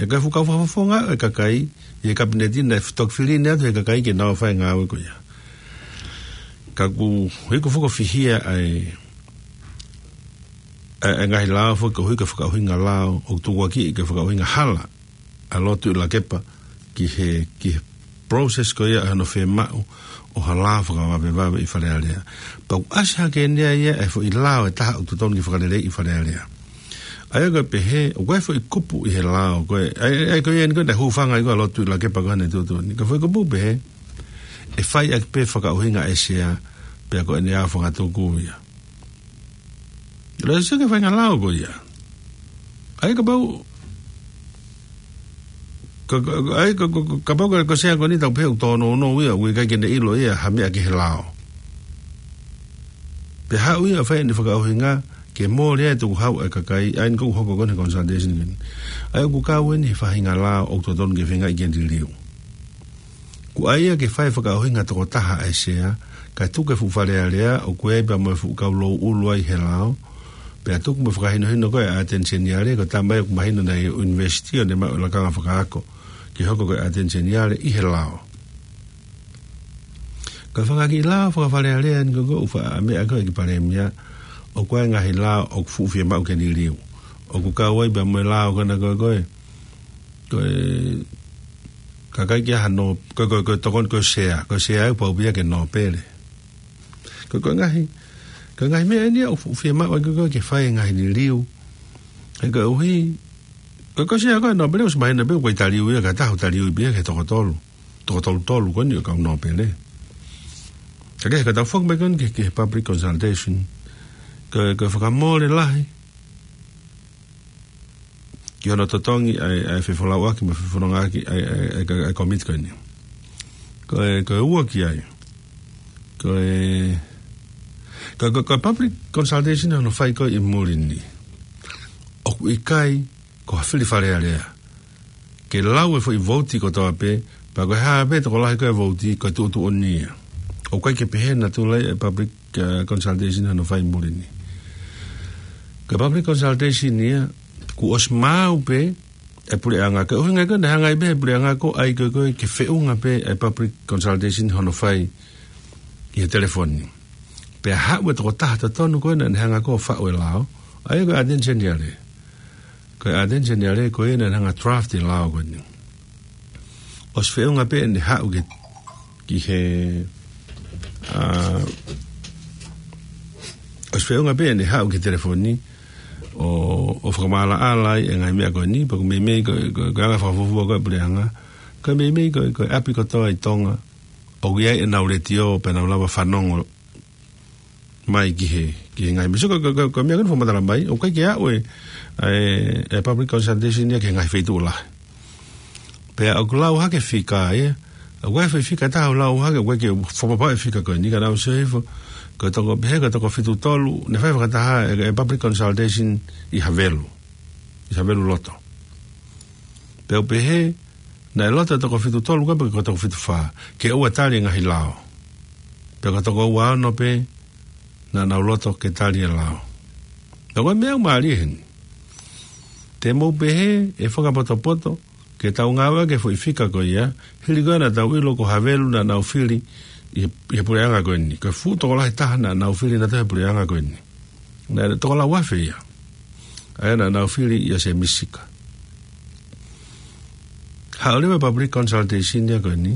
He ko e fuʻu kau fakafofonga e kakai ʻi he kapineti naʻe toki fili atu he kakai ke nau fai e ngāue ko ia. Ka kuo hiki hifo ʻo fihia ai e, e ngaahi lao foki koeʻuhi ko e fakaʻuhinga lao, ʻo tukuakiʻi ko e fakaʻuhinga hala ʻa Lord Tuʻilakepa ki he, ki he process ko ia ʻa hono fiemaʻu ʻo ha lao fakavavevave ʻi Fale Alea. Pea ʻoku ʻasi hake eni ia e foʻi lao ʻe taha ʻoku totonu ke fakaleleiʻi ʻi Fale Alea. ʻA ia ko e pehē, ʻoku ʻi ai e foʻi kupu ʻi he lao ko ē, ʻa ia, ʻa ia ko ia eni ko ē naʻe hūfanga ai ko ē ʻa Lord Tuʻilakepa ko ē ʻi heʻene tuʻutuʻuni. Ko e foʻi kupu pehē, ʻe fai ʻaki pē fakaʻuhinga ʻa e sea, pea ko ʻene ʻalu fakatuku ia. Lele sio ki he faʻahinga lao ko ia. ʻA ia kapau, ka, ka, ʻa ia ka, ka, ka, kapau ko e, ko e sea ko eni tau pehē ʻoku tōnounou ia, ʻoku ʻikai ke ne ʻilo ia ha meʻa ki he lao. Pea haʻu ia ʻo fai ʻene fakaʻuhinga ke mole ai e tukuhau ʻa e kakai, ʻa ia eni ʻoku hoko ko eni he consultation ko eni. ʻA ia ʻoku kau eni he faʻahinga lao ʻoku totonu ke feingaʻi ke liliu. Ko ia ke fai e fakaʻuhinga tokotaha ʻa e sea, kae tuku e fuʻu Fale Alea, ʻoku ʻi ai pea mo e fuʻu kau louʻulu ai he lao, pea tuku mo e fakahinohino ko ē ʻa e ʻAteni Seniale, ko e tama ia ʻoku mahino naʻe ʻi he ʻunivēsiti ʻo ne maʻu e lakanga fakaako ke hoko ko e ʻAteni Seniale ʻi he lao. Ko e fanga kiʻi lao faka-Fale Alea eni ko ē ʻoku faʻa meʻa ko ē ki he Palēmia, ʻoku ʻi ai e ngaahi lao ʻoku fuʻu fiemaʻu ke liliu. ʻOku kau ai pea mo e lao ko ena ko ē ko ē, ko e, ka ʻikai ke ʻi ai hano, ko, ko, ko e tokoni ko e sea, ko e sea ia ʻoku pau pē ia ke nōpele. Ko, ko e ngaahi, ko e ngaahi meʻa eni ia ʻoku fuʻu fiemaʻu ai ko ē ke fai e ngaahi liliu. He koeʻuhi, ko, ko e sea ko ē nōpele ʻosi mahino pē ʻoku ʻikai taliui ia, ka ʻe taha ʻoku taliui pē ia ki he toko tolu. Toko tolu tolu ko eni ʻo e kau nōpele. Ka ke, ka tau foki mai ko eni ki he, ki he public consultation. Ko, ko e fakamole lahi ki hono totongi ʻa e, ʻa e fefolauʻaki mo e fefonongaʻaki ʻa e, ʻa e, ʻa e, ʻa e komiti ko eni. Ko e, ko e ua ki ai. Ko e, ko, ko, ko e public consultation hono fai ko ē ʻi muli ni, ʻoku ʻikai ko ha fili Fale Alea ke lau e foʻi vouti kotoa pē, pea ko e hā pē tokolahi ko ē e vouti ko e tuʻutuʻuni ia. ʻOku ʻikai ke pehē e natula ia e public, uh, consultation hono fai muli ni. Ko e public consultation ia, kuo ʻosi maau pē e puleʻanga. Ko e ʻuhinga ko ē naʻe hanga ai pē he puleʻanga ko ē ʻo ʻai ko ē ko ē ke feʻunga pē e public consultation hono fai ʻi he telefoni. Pea haʻu e tokotaha totonu ko ē naʻa ne hanga ko ē ʻo faʻu e lao, ʻa ia ko e ʻAteni Seniale. Ko e ʻAteni Seniale ko ia naʻa ne hanga ʻo draft e lao ko eni. ʻOsi feʻunga pē ʻene haʻu ki, ki he, ʻa, ʻosi feʻunga pē ʻene haʻu ki he telefoni, ʻo, ʻo fakamaʻalaʻala ai e ngaahi meʻa ko eni, pea ʻoku meimei ko, ko, ko e anga fakafuofua ko ē ʻa e puleʻanga. Ko e meimei ko, ko e ʻapi kotoa ʻi Tonga ʻoku ʻi ai ʻenau letiō pea nau lava fanongo mai ki he, ki he ngaahi meʻa. So ko, ko, ko, ko e meʻa ko eni fakamatala mai, ʻoku ʻikai ke aʻu e, e, e public consultation ia ki he ngaahi feituʻu lahi. Pea ʻoku lau hake fika ia, ʻoku ʻi ai e foʻi fika ʻe taha ʻoku lau hake, ʻoku ʻikai ke fakapapauʻi e fika ko eni, ka naʻa ku sio hifo, ko e toko pehē, ko e toko fitu tolu, naʻe fai fakataha e, e public consultation ʻi Havelu, ʻi Havelu loto. Pea u pehē, naʻe loto e toko fitu tolu ko ē pe ko e toko fitu fā, ke ʻoua tali e ngaahi lao. Pea ko e toko ua ono pē, naʻa nau loto ke tali e lao. Pea ko e meʻa ʻoku mālie heni. Te mou pehē ʻe fakapotopoto ke tau ngāueʻaki e foʻi fika ko ia, hili ko ē naʻa tau ʻilo ko Havelu naʻa nau fili ʻi he, ʻi he puleʻanga ko eni. Ko e fuʻu tokolahi taha naʻa nau fili naʻa tau he puleʻanga ko eni. Naʻe toko lau afe ia. ʻA ia naʻa nau fili ʻia Semisi Sika. Haʻu leva e public consultation ia ko eni.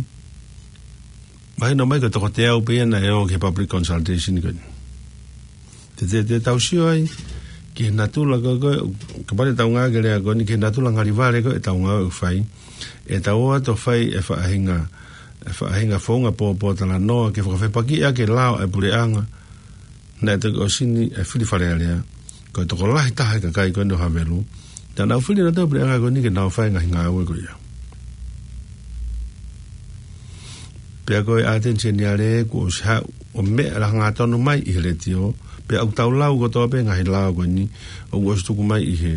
Mahino mai ko e toko teau pē ia naʻe ō ki he public consultation ko eni. Te, te, te tau sio ai ki he natula ko, ko, kapau te tau ngāueʻaki e lea ko eni, ki he natula ngalivale ko ē ʻetau ngāue ʻoku fai. ʻE tau ō atu ʻo fai e faʻahinga, e faʻahinga founga pōpōtalanoa ke fakafepakiʻi ʻaki e lao ʻa e puleʻanga. Naʻe toki ʻosi ni e fili Fale Alea. Ko e tokolahi taha e kakai ko eni ʻo Havelu, naʻa nau fili naʻa tau puleʻanga ko eni ke nau fai e ngaahi ngāue ko ia. Pea ko e ʻAteni Seniale kuo ʻosi haʻu ʻo meʻa hangatonu mai ʻi he letiō, pea ʻoku tau lau kotoa pē ngaahi lao ko eni, ʻoku ʻosi tuku mai ʻi he,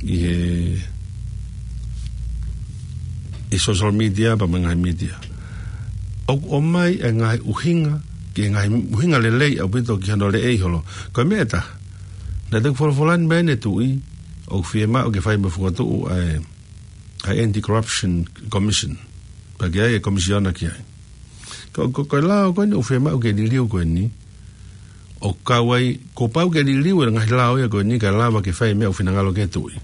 ʻi he, ʻi he social media, pea mo e ngaahi media. ʻOku ʻomai e ngaahi ʻuhinga, ki he ngaahi ʻuhinga lelei ʻaupito ki hono leʻei holo. Ko e meʻa ʻe taha, naʻe toki folofola ni mai ʻene tuʻi, ʻoku fiemaʻu ke fai mo e fokotuʻu ʻa e, ʻa e Anti-Corruption Commission. Pea ke ʻi ai e komisiona ki ai. Ko, ko, ko e lao ko eni ʻoku fiemaʻu ke liliu ko eni, ʻoku kau ai, kuo pau ke liliu e ngaahi lao ia ko eni kae lava ke fai e meʻa ʻoku finangalo ki ai e tuʻi.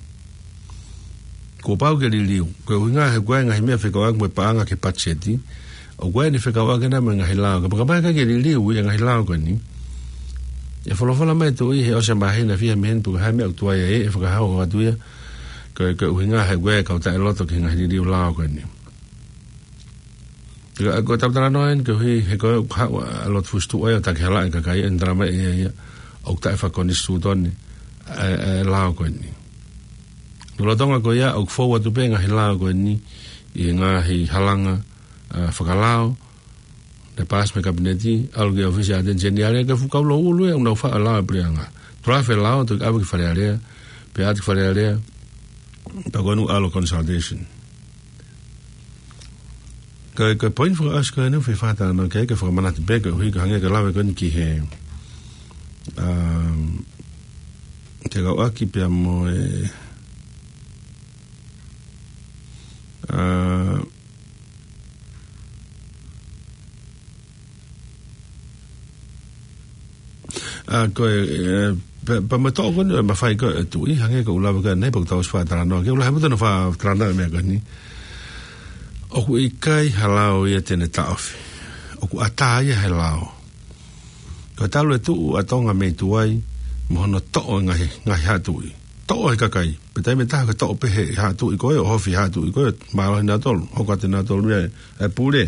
Kuo pau ke liliu. Ko e ʻuhinga he ʻoku ʻi ai e ngaahi meʻa fekauʻaki mo e paʻanga ki he patiseti. ʻOku ʻi ai ʻene fekauʻaki ena mo e ngaahi lao. Kapau, kapau ʻe ʻikai ke liliu ʻa e ngaahi lao ko eni, ʻe folofola mai e tuʻi he ʻosi e māhina fiha mei heni pe ko e hā e meʻa ʻoku tuai ai, ʻe fakahā atu ia. Ko, ko e ʻuhinga he ʻoku ʻi ai e kau taʻeloto ki he ngaahi liliu lao ko eni. Ka, ko e tau talanoa eni koeʻuhi he ko e ʻoku haʻu ʻa e lotu fusituʻa ia ʻo takihalaʻi e kakai, ʻene talamai ʻe ia ia ʻoku taʻefakakonisitūtone ʻa e, ʻa e lao ko eni. Lolotonga ko ia ʻoku fou atu pē ngaahi lao ko eni ʻi he ngaahi halanga, ʻa, fakalao, naʻe paasi mei he Kapineti, ʻalu ki he ʻōfisi ʻa e ʻAteni Seniale, ko e fuʻu kau louʻulu ia ʻoku nau faʻa lao e puleʻanga. Tulafe lao, toki ʻave ki Fale Alea, pea ʻave ki Fale Alea, pea ko eni ʻalu consultation. Ko e, ko e poini fakaʻosi ko eni ʻoku ou fie fakatalanoa ki ai, ke fakamanatu pē koeʻuhi ko e hangē ko e lave ko eni ki he, um, fekauʻaki pea mo e, uh, ʻa, ko e, e, pea, pea mo e toʻo ko eni e mafai ko ē ʻa e tuʻi, hangē ko ʻeku lave ko ē ʻanenai pea ʻoku tau ʻosi fakatalanoa. Ke u lahi muta ʻene fakatalanoa e meʻa ko eni. ʻOku ʻikai ha lao ia te ne taʻofi. ʻOku ʻatā ia he lao. Ko e talu e tuʻu ʻa Tonga mei tuai, mo hono toʻo e ngaahi, ngaahi haʻa tuʻi. Toʻo he kakai. Pea taimi ʻe taha ke toʻo pē he haʻa tuʻi ko ē, ʻo ʻohofi haʻa tuʻi ko ē, mālohi nautolu, hoko atu nautolu ia e, e pule.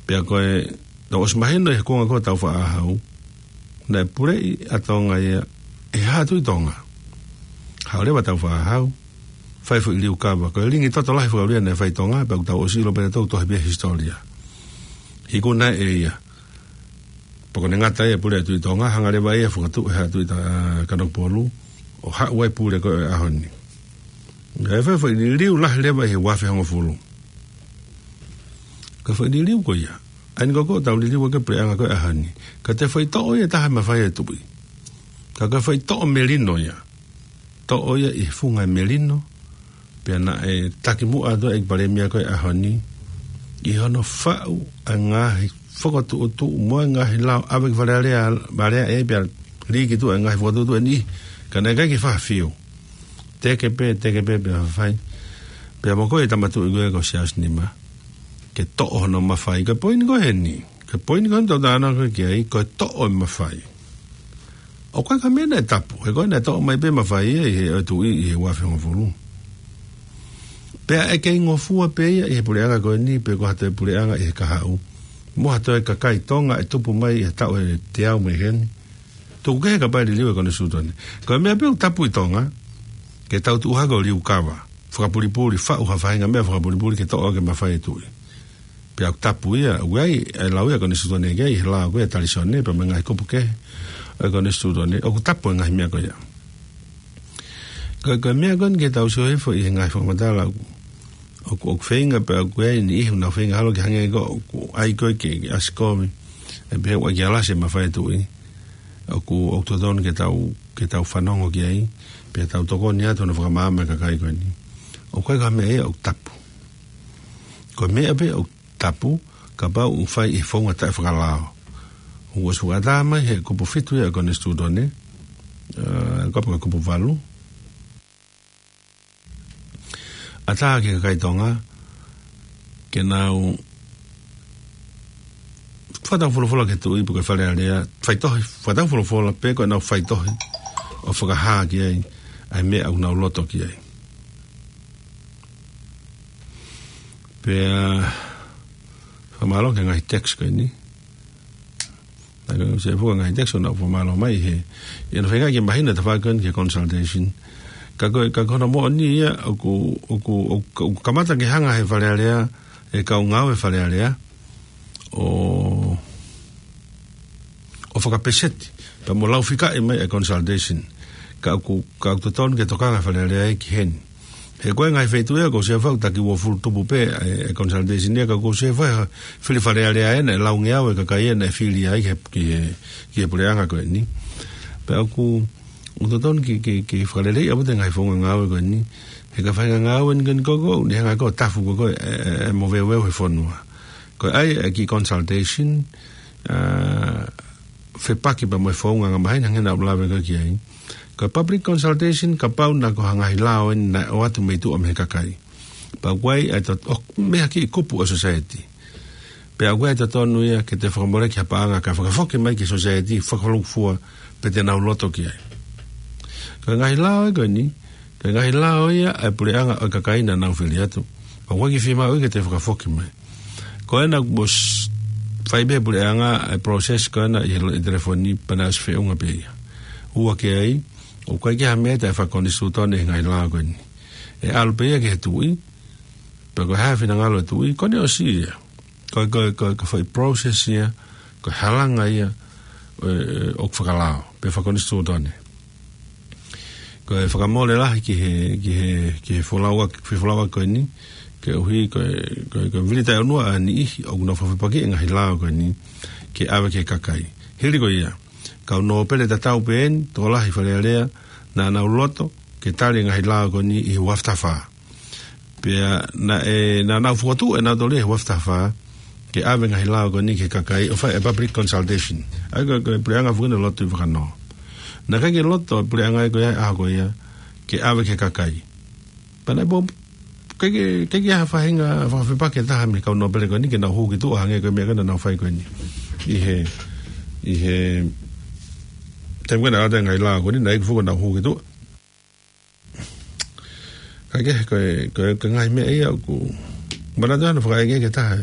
Pea ko e, naʻe ʻosi mahino ʻi he kuonga ko ē ʻo Tāufaʻāhau, naʻe puleʻi ʻa Tonga ia ʻe he Haʻa Tuʻi Tonga. Haʻu leva ʻa Tāufaʻāhau, fai e foʻi liukava. Ko e lingi toto lahi fakaʻulia naʻe fai ʻi Tonga, pea ʻoku tau ʻosi ʻilo pē nautolu ʻoku tohi pē he hisitōlia. He ko ʻene ʻai ʻe ia, pea ko ʻene ngata ia e pule ʻa e Tuʻi Tonga, hanga leva ia ʻo fokotuʻu e Haʻa Tuʻi ʻa Kanokupolu, ʻo haʻu ai e pule ko ē ʻo e ʻaho ni. Naʻe fai e foʻi liliu lahi leva ʻi he ua afe hongofulu. Ko e foʻi liliu ko ia, ʻa eni ko ē ʻoku tau liliu ʻaki e puleʻanga ko ē ʻo e ʻaho ni. Ka ko e foʻi toʻo ia ʻe taha e mafai ʻa e tuʻi. Ka ko e foʻi toʻo melino ia. Toʻo ia ʻi he funga e melino, pea naʻe takimuʻa atu ʻa e ʻEiki Palēmia ko ē ʻo e ʻaho ni, ʻi hono faʻu ʻa e ngaahi fokotuʻutuʻu mo e ngaahi lao ʻave ki Fale Alea, Fale Alea ē pea lī ki tuʻa e ngaahi fokotuʻutuʻu ʻe niʻihi, ka naʻe ʻikai ke fakafiu. Teke pē, teke pē, pea fai. Pea mo ko e tama tuʻi ko ē ko Siaosi Nima, ke toʻo hono mafai. Ko e poini ko ē heni. Ko e poini ko ē ʻoku tau talanoa ko ē ki ai, ko e toʻo e mafai. ʻOku ʻikai ko ha meʻa naʻe tapu, he ko ē naʻe toʻo mai pē mafai ia ʻe he ʻOtua ʻi he ua afe hongofulu. Pea ʻe kei ngofua pē ia ʻi he puleʻanga ko eni, pe ko ha toe puleʻanga ʻi he kahaʻu, mo ha toe kakai Tonga ʻe tupu mai ʻi he taʻu ʻe teau mei heni. Tuku kehe kapau ʻe liliu e konisitūtone. Ko e meʻa pē ʻoku tapu ʻi Tonga, ke tau tuʻu hake ʻo liu kava, fakapulipuli, faʻu ha faʻahinga meʻa fakapulipuli ke toʻo ʻaki e mafai ʻo e tuʻi. Pea ʻoku tapu ia, ʻoku ʻi ai e lau ia ʻa e konisitūtone ki ai, he lau ko ē ʻa Talisione, pea mo e ngaahi kupu kehe ʻo e konisitūtone, ʻoku tapu e ngaahi meʻa ko ia. Ko, ko e meʻa ko eni ke tau sio hifo ʻi he ngaahi fakamatala ʻoku, ʻoku, ʻoku feinga pea ʻoku ʻi ai e niʻihi ʻoku nau feinga holo ke hangē ko ʻoku ʻai ko ē ke, ke ʻasi kovi, ʻe pehē ʻoku ʻai ke alasi e mafai ʻo e tuʻi. ʻOku, ʻoku totonu ke tau, ke tau fanongo ki ai, pea tau tokoni atu hono fakamaama e kakai ko eni. ʻOku ʻikai ko ha meʻa ia ʻoku tapu. Ko e meʻa pē ʻoku tapu, kapau ʻoku fai ʻi he founga taʻefakalao. ʻOku ʻosi fakaʻatā mai he kupu fitu ia ʻo e konisitūtone, ē, kapau ko e kupu valu. ʻAtā ki he kakai Tonga, ke nau fakatau folofola ki he tuʻi pe ko e Fale Alea, faitohi, fakatau folofola pe ko ʻenau faitohi, ʻo fakahā ki ai ʻa e meʻa ʻoku nau loto ki ai. Pea, fakamālō ki he ngaahi text ko eni. Naʻe ʻosi e fuʻu ngaahi text ʻoku nau fakamālō mai he, ʻi hono feinga ke mahino e tafaʻaki ko eni ki he consultation. Ka ko e, ka ko hono moʻoni ia ʻoku, ʻoku, ʻoku, ʻoku kamata ke hanga he Fale Alea, e kau ngāue Fale Alea, ʻo, ʻo fakapeseti, pea mo laufikaʻi mai e consultation. Ka ʻoku, ka ʻoku totonu ke tokanga Fale Alea ia ki heni. He ko e ngaahi feituʻu ia ʻoku ou sio faʻu taki uofulu tupu pē e, e consultation ia, ka ʻoku ou sio faʻu fili Fale Alea ena, e laungeau e kakai ena ʻe fili ai ki he, ki he, ki he puleʻanga ko eni. Pea ʻoku, ʻoku totonu ke, ke, ke fakaleleiʻi ʻaupito e ngaahi founga ngāue ko eni. He ko e faʻahinga ngāue eni ko eni ko ē, ʻoku ne hanga ko ē ʻo tafu ko ē, e, e, e moveuveu he fonua. Ko e ʻai e kiʻi consultation, ā, fepaki pea mo e founga angamaheni hangē naʻa ku lave ko ē ki ai. Ko e public consultation, kapau naʻe ko ha ngaahi lao eni naʻe ʻoatu mei tuʻa mei he kakai. Pea ʻoku ʻi ai e tot-, ʻo, mei ha kiʻi kupu ʻo e society. Pea ʻoku ʻi ai e totonu ia ke toe fakamoleki ha paʻanga kae fakafoki mai ki he society, fakalūkufua, pe te nau loto ki ai. Ko e ngaahi lao ia ko eni, ko e ngaahi lao ia ʻa e puleʻanga ʻo e kakai naʻa nau fili atu. Pea ʻoku ʻikai ke fiemaʻu ia ke toe fakafoki mai. Ko ena kuo ʻosi fai pē ʻe he puleʻanga e process ko ena ʻi he lo-, ʻi he telefoni pea naʻe ʻosi feʻunga pē ia. Ua ki ai, ʻoku ʻikai ke ʻi ai ha meʻa taʻefakonisitūtone he ngaahi lao ko eni. ʻE ʻalu pē ia ki he tuʻi, pea ko e hā e finangalo e tuʻi, ko ʻene ʻosi ia. Ko e, ko e, ko e, ko e foʻi process ia, ko e halanga ia, ē, ʻoku fakalao, pe fakonisitūtone. Ko e fakamole lahi ki he, ki he, ki he folaua, ki he folaua ko eni, koeʻuhi ko e, ko e, ko e vili taʻeʻunua ʻa e niʻihi ʻoku nau fakafepaki e ngaahi lao ko eni, ke ʻave ki he kakai. Hili ko ia, kau nōpele tatau pē eni, tokolahi Fale Alea, naʻa nau loto, ke tali e ngaahi lao ko eni ʻi he ua afe taha fā. Pea naʻe, naʻa nau fokotuʻu ʻe nautolu ia he ua afe taha fā, ke ʻave e ngaahi lao ko eni ki he kakai ʻo fai e public consultation. ʻA ia ko e, ko e puleʻanga foki naʻe lotu ʻi Vakanō. Naʻe ʻikai ke loto e puleʻanga ia ko ia, ʻa ko ia, ke ʻave ki he kakai. Pea naʻe pō, ʻikai ke, ʻikai ke ʻi ai ha faʻahinga fakafepaki ʻe taha mei he kau nōpele ko eni ke nau hū ki tuʻa hangē ko e meʻa ko ē naʻa nau fai ko eni. ʻI he, ʻi he, taimi ko ē naʻe ʻoatu e ngaahi lao ko eni, naʻe ʻikai foki ke nau hū ki tuʻa. Ka ke, ko e, ko e, ko e ngaahi meʻa ia ʻoku, manatu hono fakaʻeke ki he taha.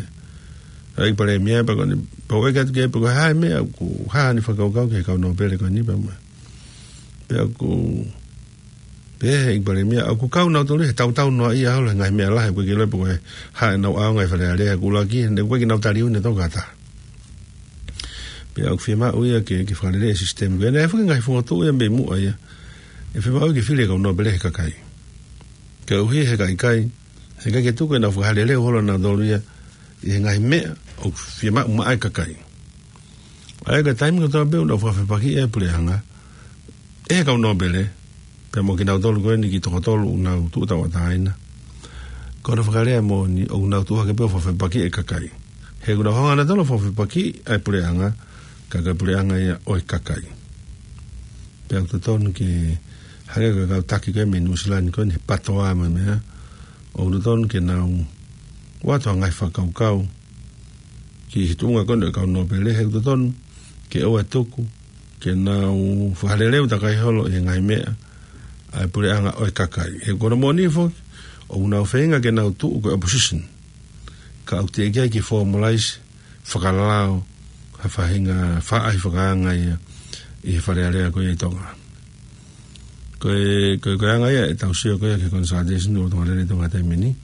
ʻEiki Palēmia pea ko eni, pea u ʻeke atu ki ai pe ko e hā e meʻa ʻoku hā ʻene fakakaukau ki he kau nōpele ko eni pea mo. Pea ʻoku, pehē ʻe he ʻEiki Palēmia, ʻoku kau nautolu he tautau noaʻia holo he ngaahi meʻa lahi, ʻoku ʻikai ke ʻilo pe ko e hā ʻenau ʻaonga ʻi Fale Alea, ʻoku ʻuluaki, he ʻoku ʻikai ke nau tali ʻuhinga ʻe toko taha. Pea ʻoku fiemaʻu ia ke, ke fakalele e sisitemi ko ē. Naʻe foki e ngaahi fokotuʻu ia mei muʻa ia. ʻE fiemaʻu ke fili e kau nōpele he kakai. Koeʻuhi he ka ʻikai, he ʻikai ke tuku ke nau fakahā lelei holo nautolu ia ʻi he ngaahi meʻa ʻoku fiemaʻu maʻa e kakai. ʻA ia ko e taimi kotoa pē ʻoku nau fakafepaki e puleʻanga, ʻe he kau nōpele, pea mo kinautolu ko eni kiʻi toko tolu ʻoku nau tuʻu tauʻatāina. Ko hono fakalea moʻoni, ʻoku nau tuʻu hake pē ʻo fakafepaki e kakai. He ʻoku nau hanga ʻe nautolu ʻo fakafepaki e puleʻanga, ka ko e puleʻanga ia ʻo e kakai. Pea ʻoku totonu ke hangē ko e kau taki ko ē mei Nuʻusila ni ko eni he PTOA mo e meʻa, ʻoku totonu ke nau ʻoatu ha ngaahi fakakaukau ki he tuʻunga ko eni ʻo e kau nōpele, he ʻoku totonu ke ʻoua ʻe tuku ke nau fakaleleu takai holo ʻi he ngaahi meʻa ʻa e puleʻanga ʻo e kakai. He ko hono moʻoni foki, ʻoku nau feinga ke nau tuʻu ko e opposition. Ka ʻoku teʻeki ai ke formalize fakalao ha faʻahinga faʻahi fakaanga ia ʻi he Fale Alea ko ia ʻi Tonga. Ko e, ko e, ko e anga ia ʻetau sio ko ia ki he consultation ʻo Tonga Lele ʻi Tonga taimi ni.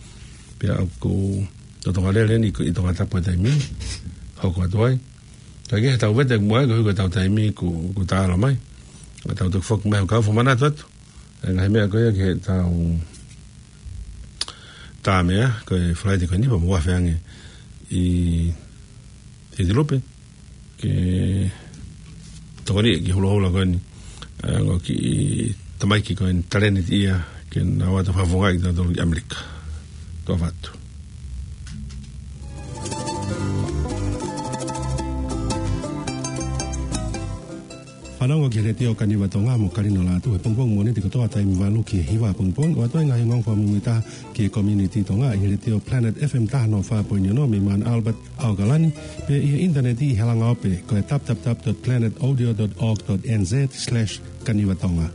Pea ʻoku ʻo Tonga Lele ni ko ʻi Tongatapu he taimi ni. Hoko atu ai. Ka ke he tau vete muʻa ko e hiko ʻetau taimi ku, ku talo mai. Ka tau toki foki mai ʻo kau fakamanatu atu ʻa e ngaahi meʻa ko ia ki heʻetau tā meʻa, ko e Falaite ko eni, pea mo e feange ʻi, ʻi Tilupe, ke tokoni ki he holoholo ko eni, ʻa e ongo kiʻi tamaiki ko eni, talēniti ia, ke nau ō atu fakafofongaʻi kitautolu ki ʻAmelika. Toa atu. Fanongo ki he Letiō Kaniva Tonga mo Kalino Lātū he pongipongi Mōnite kotoa taimi valu ki he hiva pongipongi, ʻo ʻoatu ai e ngaahi ongoongo fakamuimuitaha ki he community Tonga ʻi he Letiō Planet F M taha noa fā poini ono mei Mount Albert, ʻAokalani, pea ʻi he ʻinitaneti ʻi he langa ope ko e w w w dot planet audio dot org dot n z slash kaniva tonga.